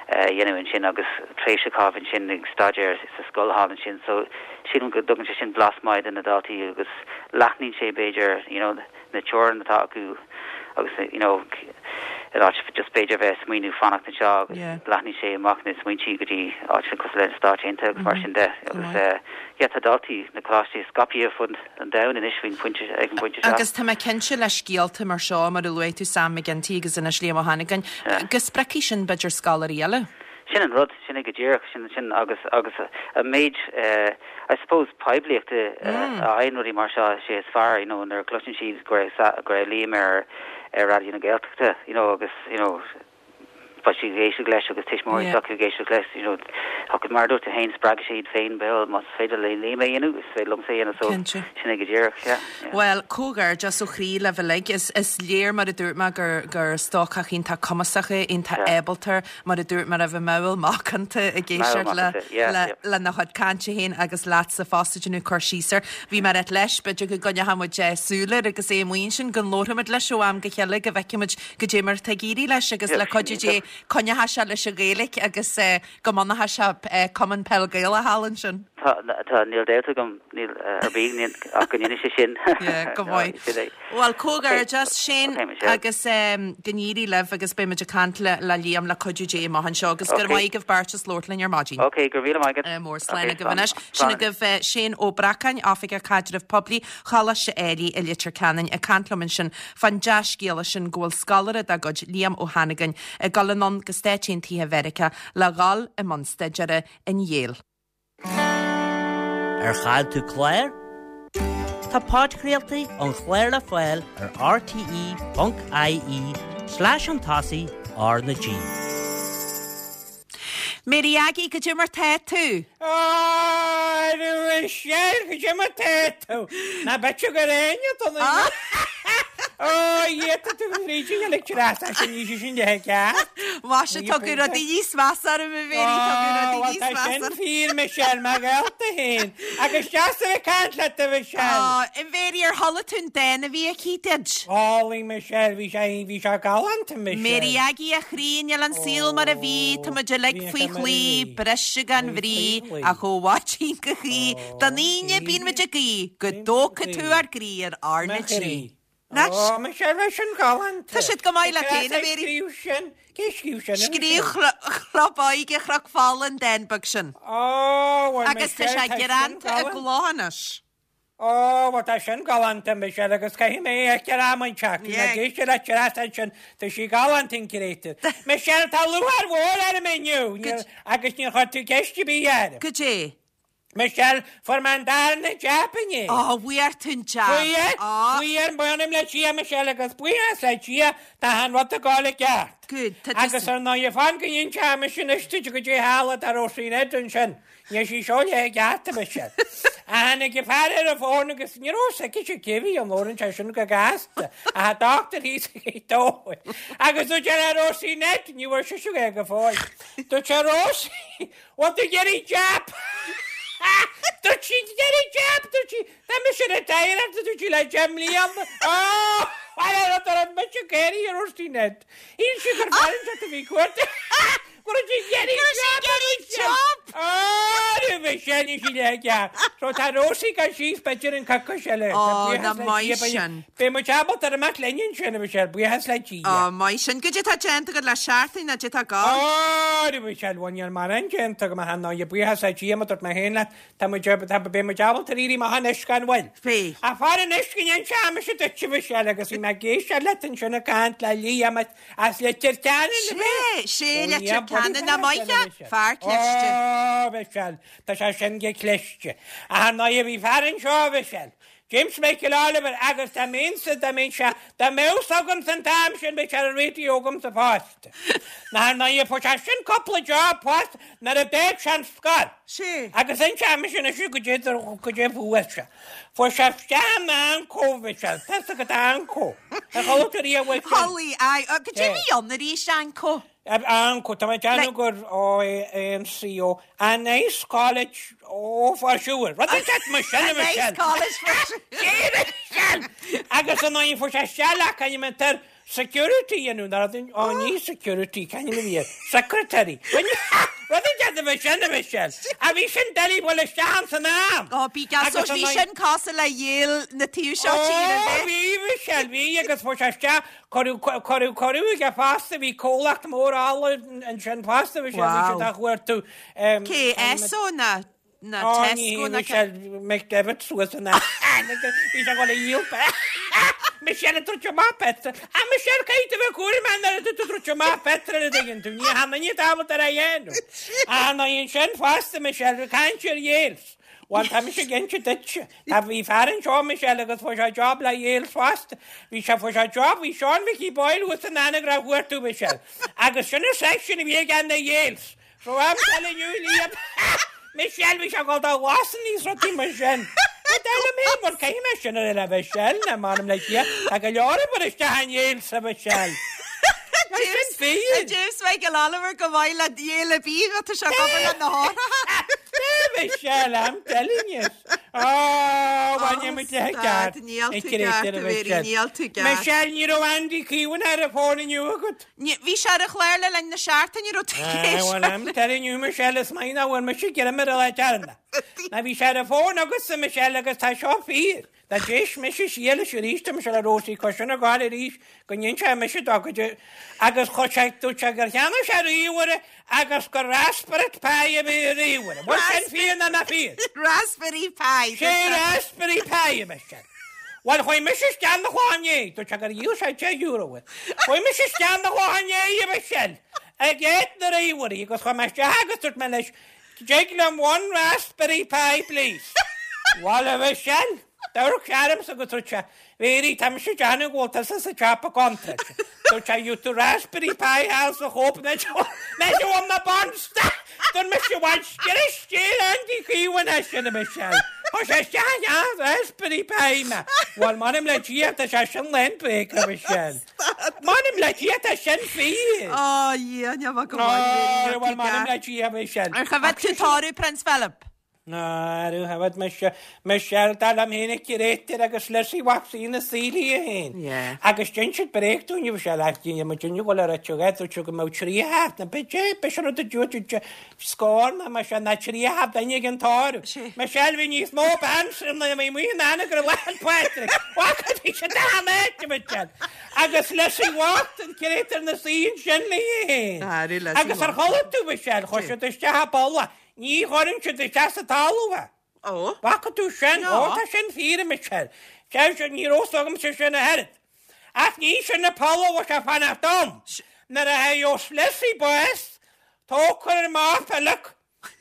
H: dhéanamh ansin agus tréimhse caitheamh ansin ag staidéar sa scoil thall ansin so sílim go dtugann sé sin blas maith do na daltaí agus leathnaíonn sé b'fhéidir you know, na teorainn atá acu agus you know, in áit just b'fhéidir bheith smaoineamh fanacht anseo agus
A: Yeah.
H: leathnaíonn sé amach na smaointe go dtí áit cosúil leis na Stáit Aontaithe agus mar sin de agus uh, yeah, tá daltaí na coláistí scaipthe fud an domhain anois faoin phointe ag an bpointe seo.
A: Agus tá mé cinnte le scéalta mar seo mar a luaigh tú Sam McGinty agus anois Liam Ó hAnnagáin, go spreagfaidh sin b'fhéidir scoláirí eile.
H: Sin an rud sin go díreach sin sin agus agus a méid uh, I suppose poiblíochta mm. uh, a rudaí mar seo sé is fearr you know nuair cloiseann siad go raibh go raibh Liam ar ar Raidió na Gaeltachta you know agus you know ba si géisiú leis agus tuismitheoirí
A: Yeah.
H: yeah. géisiú leis you know agus mar dúirt féin spreag siad féin bhuel más féidir le Liam é a dhéanamh is féidir liomsa é a dhéanamh so
A: Cinnte.
H: sin go díreach yeah, yeah.
A: Well, comhghairdeas ó chroí libh uilig is is léir mar a dúirt mé gur gur stócach iontach cumasach é iontach
H: Yeah.
A: ábalta mar a dúirt mar a bheith modhúil macánta ag éisteacht le
H: macánta, yeah,
A: le
H: yeah.
A: lena chuid cainte féin agus leatsa fosta déanamh cur síos air. Bhí mar et leis b'fhéidir go gcoinneoidh muid súil air agus é muin sin go labhróimid leis ó am go chéile go bhfeicfimid goidé mar tá ag éirí leis agus
H: Yeah,
A: le cuidiú Dé coinneoidh sé leis an Ghaeilge agus eh, go mbunóidh sé eh, cumann peil Gaelach thall ansin.
H: Tá tá níl dabht agam níl uh, ar bith níl ach go ndéanfaidh sé sin.
A: Yeah, go
H: No,
A: maith.
H: sin é.
A: Well comhghairdeas Shane
H: Okay, Michelle.
A: agus um, go n-éirí libh agus beimid ag caint le le Liam le cuidiú Dé amach anseo agus gur
H: Okay.
A: maith agaibh beirt as labhairt linn ar maidin.
H: Okay, go raibh míle maith agat.
A: Uh, mór slán
H: Okay,
A: agaibh anois. Sin agaibh uh, Shane Ó Bracáin Oifigeach Caidrimh Poiblí Choláiste Ailigh i Leitir Ceanainn ag caint liom ansin fán dea-scéala sin go bhfuil scoláire dá gcuid Liam Ó hAnnagáin ag dul anonn go Stáit Aontaithe Mheiriceá le dhul i mbun staidéir in Yale.
C: Ar chaill tú clár? Tá podchraoltaí an chláir le fáil ar rte.ie slash chun tosaigh R na G.
A: Mary Aggie goidé mar tá tú.
I: Á sé go mar tá tú Na be go réine Ó tú ríí le sin ní sin de ce?
A: Mhaise tugadh rudaí níos measa orm a Mhéirí, tugadh rudaí níos
I: Tá
A: measa
I: sin
A: orm.
I: fíor Michelle, mar gheallta féin. Agus deas a bheith ag caint leat a Michelle.
A: Á, a Mhéirí ar chuala tú an dán a bhí aici duit.
I: Álainn Michelle, bhí sé bhí sé galánta Michelle.
A: Mary Aggie a chroí níl an saol mar a bhí, Tá muid uilig
I: bhí
A: faoi
I: sé mar a
A: chlaí,
I: bhí.
A: briseadh gan
I: Bhí
A: bhrí,
I: faoi chlaí.
A: ach ó mhaidin go hoíche, don Aoine bíonn muid ag guí, go dtógfaidh tú ár gcroí ar R na
I: Ma
A: G.
I: chroí.
A: Nach-
I: Ó, Michelle, bhí sin galánta.
A: Tá siad go maith le féin, a Mhéirí.
I: Scríobh sin, cé scríobh sin? a
A: Scríobh
I: Michelle?
A: Chlub Óige Chnoc Fola an dán beag sin.
I: Ó, bhuel,
A: Agus tá
I: Michelle,
A: sé
I: tá sin
A: greanta i
I: galánta.
A: gcló anois.
I: Ó, bhuel, tá sin galánta, Michelle, agus caithfidh mé é a am an teach.
A: Yeah.
I: Na géiste le teras sin, tá sí galánta an créatúr. Michelle, tá lúcháir mhór orm inniu, níor- agus níor chuir tú ceist ar bith orm.
A: Goidé.
I: Michelle, fuair mé an darna jab inné.
A: Ó, bhfuair tú an jab.
I: Fuair,
A: Ó,
I: fuair, m'anam le Dia, Michelle, agus buíochas le Dia, tá an rud ag gabháil i gceart.
A: Good, tá
I: Agus ar ndóigh fan go n-inseoidh mise anois duit goidé tharla do Róisín Ned ansin. Níl sí seo le ceart, Michelle. A tháinig a fear ar an bhfón agus ní raibh sé cé bhí an lóran sé sin go gasta. A doctor thíos ag dóigh. Agus dúirt sé le Róisín Ned, ní bhfuair sí é go fóill. Dúirt sé Róisín, bhfuil tú ag iarraidh jab? Dúirt sí ag iarraidh jab, dúirt sí, tá mise retired, dúirt sí le deich mbliana. Ó, well, rud ar mise céirí ar Róisín Ned. Shíl sí gur fear inteacht a bhí cuairt. Go raibh sí ag iarraidh
A: sí ag iarraidh jab.
I: Á, Michelle, ní sí le ceart. So tá Róisín gan síos b'fhéidir an coicís eile.
A: Ó,
I: Tá buíochas
A: na
I: le
A: maith
I: Dia, beidh-
A: sin.
I: Beidh muid ábalta ar amach linn ansin, a Michelle, buíochas le Dia.
A: Ó, maith sin. Goidé tá déanta agat le seachtain ná goidé tá gá.
I: Ó, Michelle, bhuel níl mórán déanta agam ach ar ndóigh, buíochas le Dia, mar dúirt mé féin leat, tá muid tá beidh muid ábalta ar éirí amach anois gan mhoill.
A: Bhí.
I: A far anois go n-inseoidh mise duit, a Michelle, agus bhí mé ag éisteacht leat ansin ag caint le Liam as Leitir Ceanainn,
A: Sé, sé Leitir Ceanainn na maithe, fear cliste.
I: Ó, Michelle, tá sé sin go cliste. Ach ar ndóigh bhí fear anseo, Michelle. James Michael Oliver agus tá mé dá mé se dá mbeadh agam san t-am sin Michelle an radio agam sa phost. Na ar ndóigh fuair sé sin cúpla job post nuair a d'fhág sé an scoil.
A: Sé.
I: Agus inseoidh mise anois goidé goidé fuair sé. Fuair sé isteach in Anco, Michelle, tá go Anco. A chuala tú riamh faoi sin?
A: Holly, ai, goidé bhí ann arís Anco.
I: Anco, tá mé déanamh gur ó A N C O, a nice college, oh for sure. Rud é mar sin
A: A nice college for sure.
I: Michelle! Agus an oin fuair sé isteach caithfidh security dhéanamh ó ní security caithfidh bhí secretary. Rud é bh sin Michelle. A bhí sin deli bhfuil isteach san am.
A: Ó, bí gas
I: Agus
A: bhí
I: an
A: sin cosúil le Yale na taobh seo
I: Ó,
A: tíre.
I: bhí Michelle, bhí agus fuair sé isteach cuireadh cuireadh cuireadh aige fosta bhí comhlacht mór alla ansin fosta bhí sé bhí
A: Wow.
I: siad a chuartú.
A: Cé Esso na na
I: Ó,
A: Tesco
I: ní
A: na
I: Michelle McDevitt suas an Bhí sé go le dhíol Michelle trúte má Petra. A Michelle caiit bheith cuair man ar tú trúte má Petra a dtuigeann tú, ní hanna ní tábhacht ar a dhéanamh. A ná sin fosta Michelle caint ar Yales. Bhuel tá mise ag inse duitse. Tá bhí fear anseo Michelle agus fuair sé job le Yales fosta. Bhí sé fuair sé job, bhí Sean Mickey Boyle thuas san Anagaire chuartú Michelle. Agus sin an section a bhí aige na Yales. So I'm telling you, Liam, Michelle bhí sé go dá lásan níos rudaí mar sin. Dá mé mar céim sin ar le Michelle na man le Dia a go leor mar isteach an Yales sa Michelle.
A: James
I: fi.
A: James Michael Oliver go maith le Yale bí tá sé go le na hátha.
I: Michelle, I'm telling you. Oh, bhain muid le
A: stad, níl tú ceart, a Mhéirí, níl tú ceart.
I: Michelle, ní raibh Andy Keown ar an bhfón inniu agat.
A: Bhí sé ar an chlár le linn na seachtaine ní raibh tú
I: Well, I'm telling you, Michelle, is maith nach bhfuil mise greim ar le tearna. Na bhí sé ar an bhfón agus Michelle agus tá seo fíor. Tá d'éis mise siar leis arís Michelle a Rósaí cos na gáil arís go n-inseoidh mise dó go dtí- agus chu sé dúirt sé gur cheannaigh sé ríomhaire agus gur Raspberry Pi a bhí i ríomhaire. Bhuel sin fíor ná na fíor.
A: Raspberry Pi.
I: Sé Raspberry Pi, Michelle. Well, chuaigh mise isteach na chláinné, dúirt sé gur dhíol sé deich euro. Chuaigh mise isteach na chláinné, Michelle. Ag éad na ríomhairí agus chuaigh mé isteach agus dúirt mé leis, Dtig liom one Raspberry Pi, please. Well, a Michelle, Dúirt searm sa go dúirt sé, Mhéirí tá mise déanamh go bhfuil tusa sa tsiopa contráilte. Dúirt sé you to Raspberry Pi house a chóip na na bonsta. Dúirt mise bhain sceir Andy Keown é sin a Michelle. Tá sé isteach an Raspberry Pi mé. Bhuel, m'anam le Dia, tá sé sin lán bréag, a Mhichelle. M'anam le Dia, tá sin fíor.
A: Ó, Dhia, ní bheadh go maith,
I: Ó, bhuel, m'anam le Dia, a Mhichelle.
A: Ar choimhéad tú tórramh Prince Philip?
I: Ná, choimhéad mise, Michelle, dar liom féin a créatúr agus Lizzie Waxie na saoil í féin.
A: Yeah.
I: Agus dhein siad bréag dúinn, a Mhichelle, ach dhein muid inniu go le rite agat, dúirt siad go mbeadh trí thart, na b'fhéidir, b'shin rud a dúirt siad, scór ná mar sin ná trí thart duine ag an tórramh. Michelle, bhí níos mó bean sin ná bhí amuigh in Anagaire Lá 'le Pádraig. Bhac bhí siad achan áit, a Michelle. Agus Lizzie Watt, an créatúr na suí ansin léi féin. Agus ar chuala tú, Michelle, chuir siad isteach i bpoll é. Ní chuireann siad isteach sa talamh é.
A: Ó.
I: Bhfaca tú sin? Ó, tá sin fíor, a Michelle. Sea, sin, ní raibh fhios agamsa sin a oiread. Ach ní sin an poll a bhfuil sé fanacht ann. Nuair a gheobhas Lizzie bás, tógfar amach Philip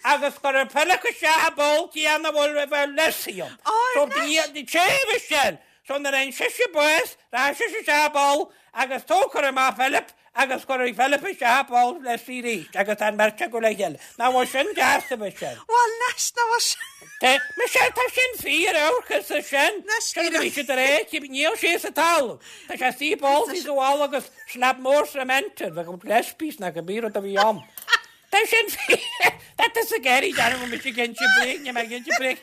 I: agus cuirfear Philip isteach i bpoll céanna a bhfuil a bhfuil Lizzie ann.
A: Ó,
I: So,
A: anois.
I: ní, sea, a Michelle. So nuair a fhaigheann sise bás, rachaidh sise isteach i bpoll agus tógfar amach Philip agus cuirfidh Philip isteach i bpoll Lizzie arís agus tá an bheirt acu le chéile. Nach bhfuil sin deas, a Michelle?
A: Bhuel, anois, nach bhfuil sin.
I: Tá, Michelle, tá sin fíor, amharc arsa sin.
A: Anois,
I: Sin a bhí siad ar éici, níl sé sa talamh. Tá sé istigh i bpoll sa bhalla agus slab mór cement air, bheadh glass piece ná cibé rud a bhí ann. Tá sin fíor. Tá tusa ag iarraidh déanamh go mise ag inse bréag, níl mé ag inse bréag.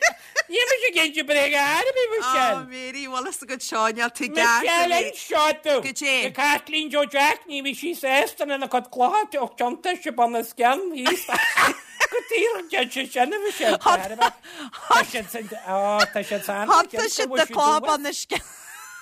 I: Níl mise ag inse bréag ar bith, Michelle.
A: Ó, Mary, bhfuil fhios agat seo, níl tú ceart,
I: Michelle,
A: Mary.
I: inseoidh tú.
A: Goidé.
I: Na Caitlín Joe Jack, ní bhí sí sásta lena cuid clocha ó tiontaigh sí bun os cionn thíos. Go díreach dein sé sin, a Michelle. Tá siad san, ó, tá siad san.
A: Thiontaigh siad na clocha bun os cionn.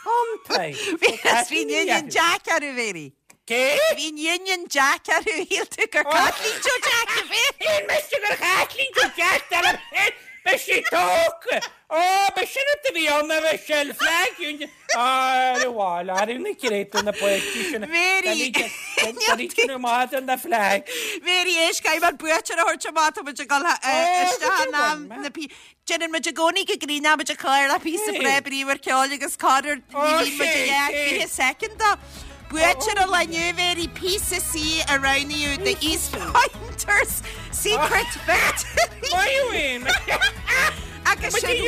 I: Thiontaigh.
A: Bhí bhí Union Jack orthu, Mary.
I: Cé?
A: Bhí Union Jack orthu, shíl tú gur Caitlín Joe Jack a bhí.
I: Shíl mise gur Chaitlín Joe Jack dar liom féin, beidh sí tógtha. Ó, ba sin rud a bhí ann, a Mhichelle, flag Union. Á, ar a bhfáil, ar na créatúir na páistí sin.
A: Mary.
I: Tá maith an na flag.
A: Mary, éist, caithfidh muid buaiteoir a thabhairt amach, tá muid ag dul isteach in am na pí. Déanann muid i gcónaí go gcríonann muid a chlár le píosa breá bríomhar ceoil agus corruair ní bhíonn muid i leath fiche soicind dó. Buaiteoir an lae inniu, Mary, píosa C a roghnaíodh The East Pointers Secret Victory.
I: Maith thú,
A: Agus sin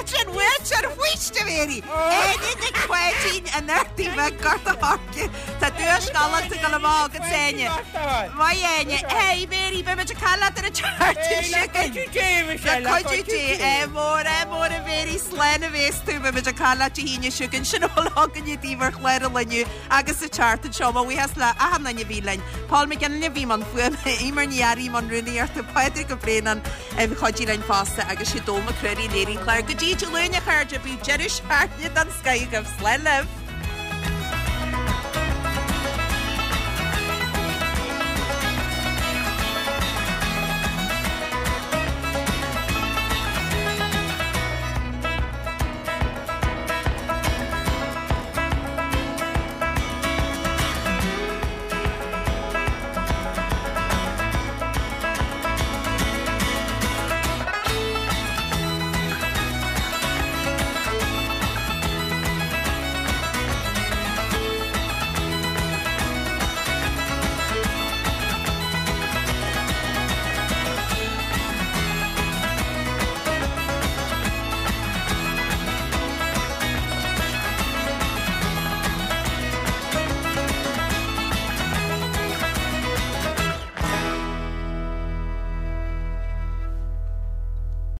A: sin buaiteoir faoiste, Mary. Áine Nic Pháidín an Ardaidh Bhig, Gort a' Choirce. Tá duais galánta ag dul amach agat, Áine. Maith Áine. Hey Mary, beidh muid ag caint leat ar an tseachtain seo chugainn.
I: Cuidiú Dé, Michelle.
A: Le cuidiú Dé, ádh mór, ádh mór a Mary, slán a bhéas tú, beidh muid ag caint leat Dé hAoine seo chugainn. Sin a bhfuil againne daoibh ar chlár an lae inniu agus sa tseachtain seo. Mo bhuíochas le achan duine a bhí linn. Paul McGinley a bhí i mbun fuaime, Eimear Ní Fhearraigh i mbun rúnaíochta, Pádraig Ó Braonáin a chuidigh linn fosta agus sé Dó Mac Ruairí a léirigh an clár. Go dtí Dé Luain a chairde, bíodh deireadh seachtaine den scoth agaibh. Slán libh.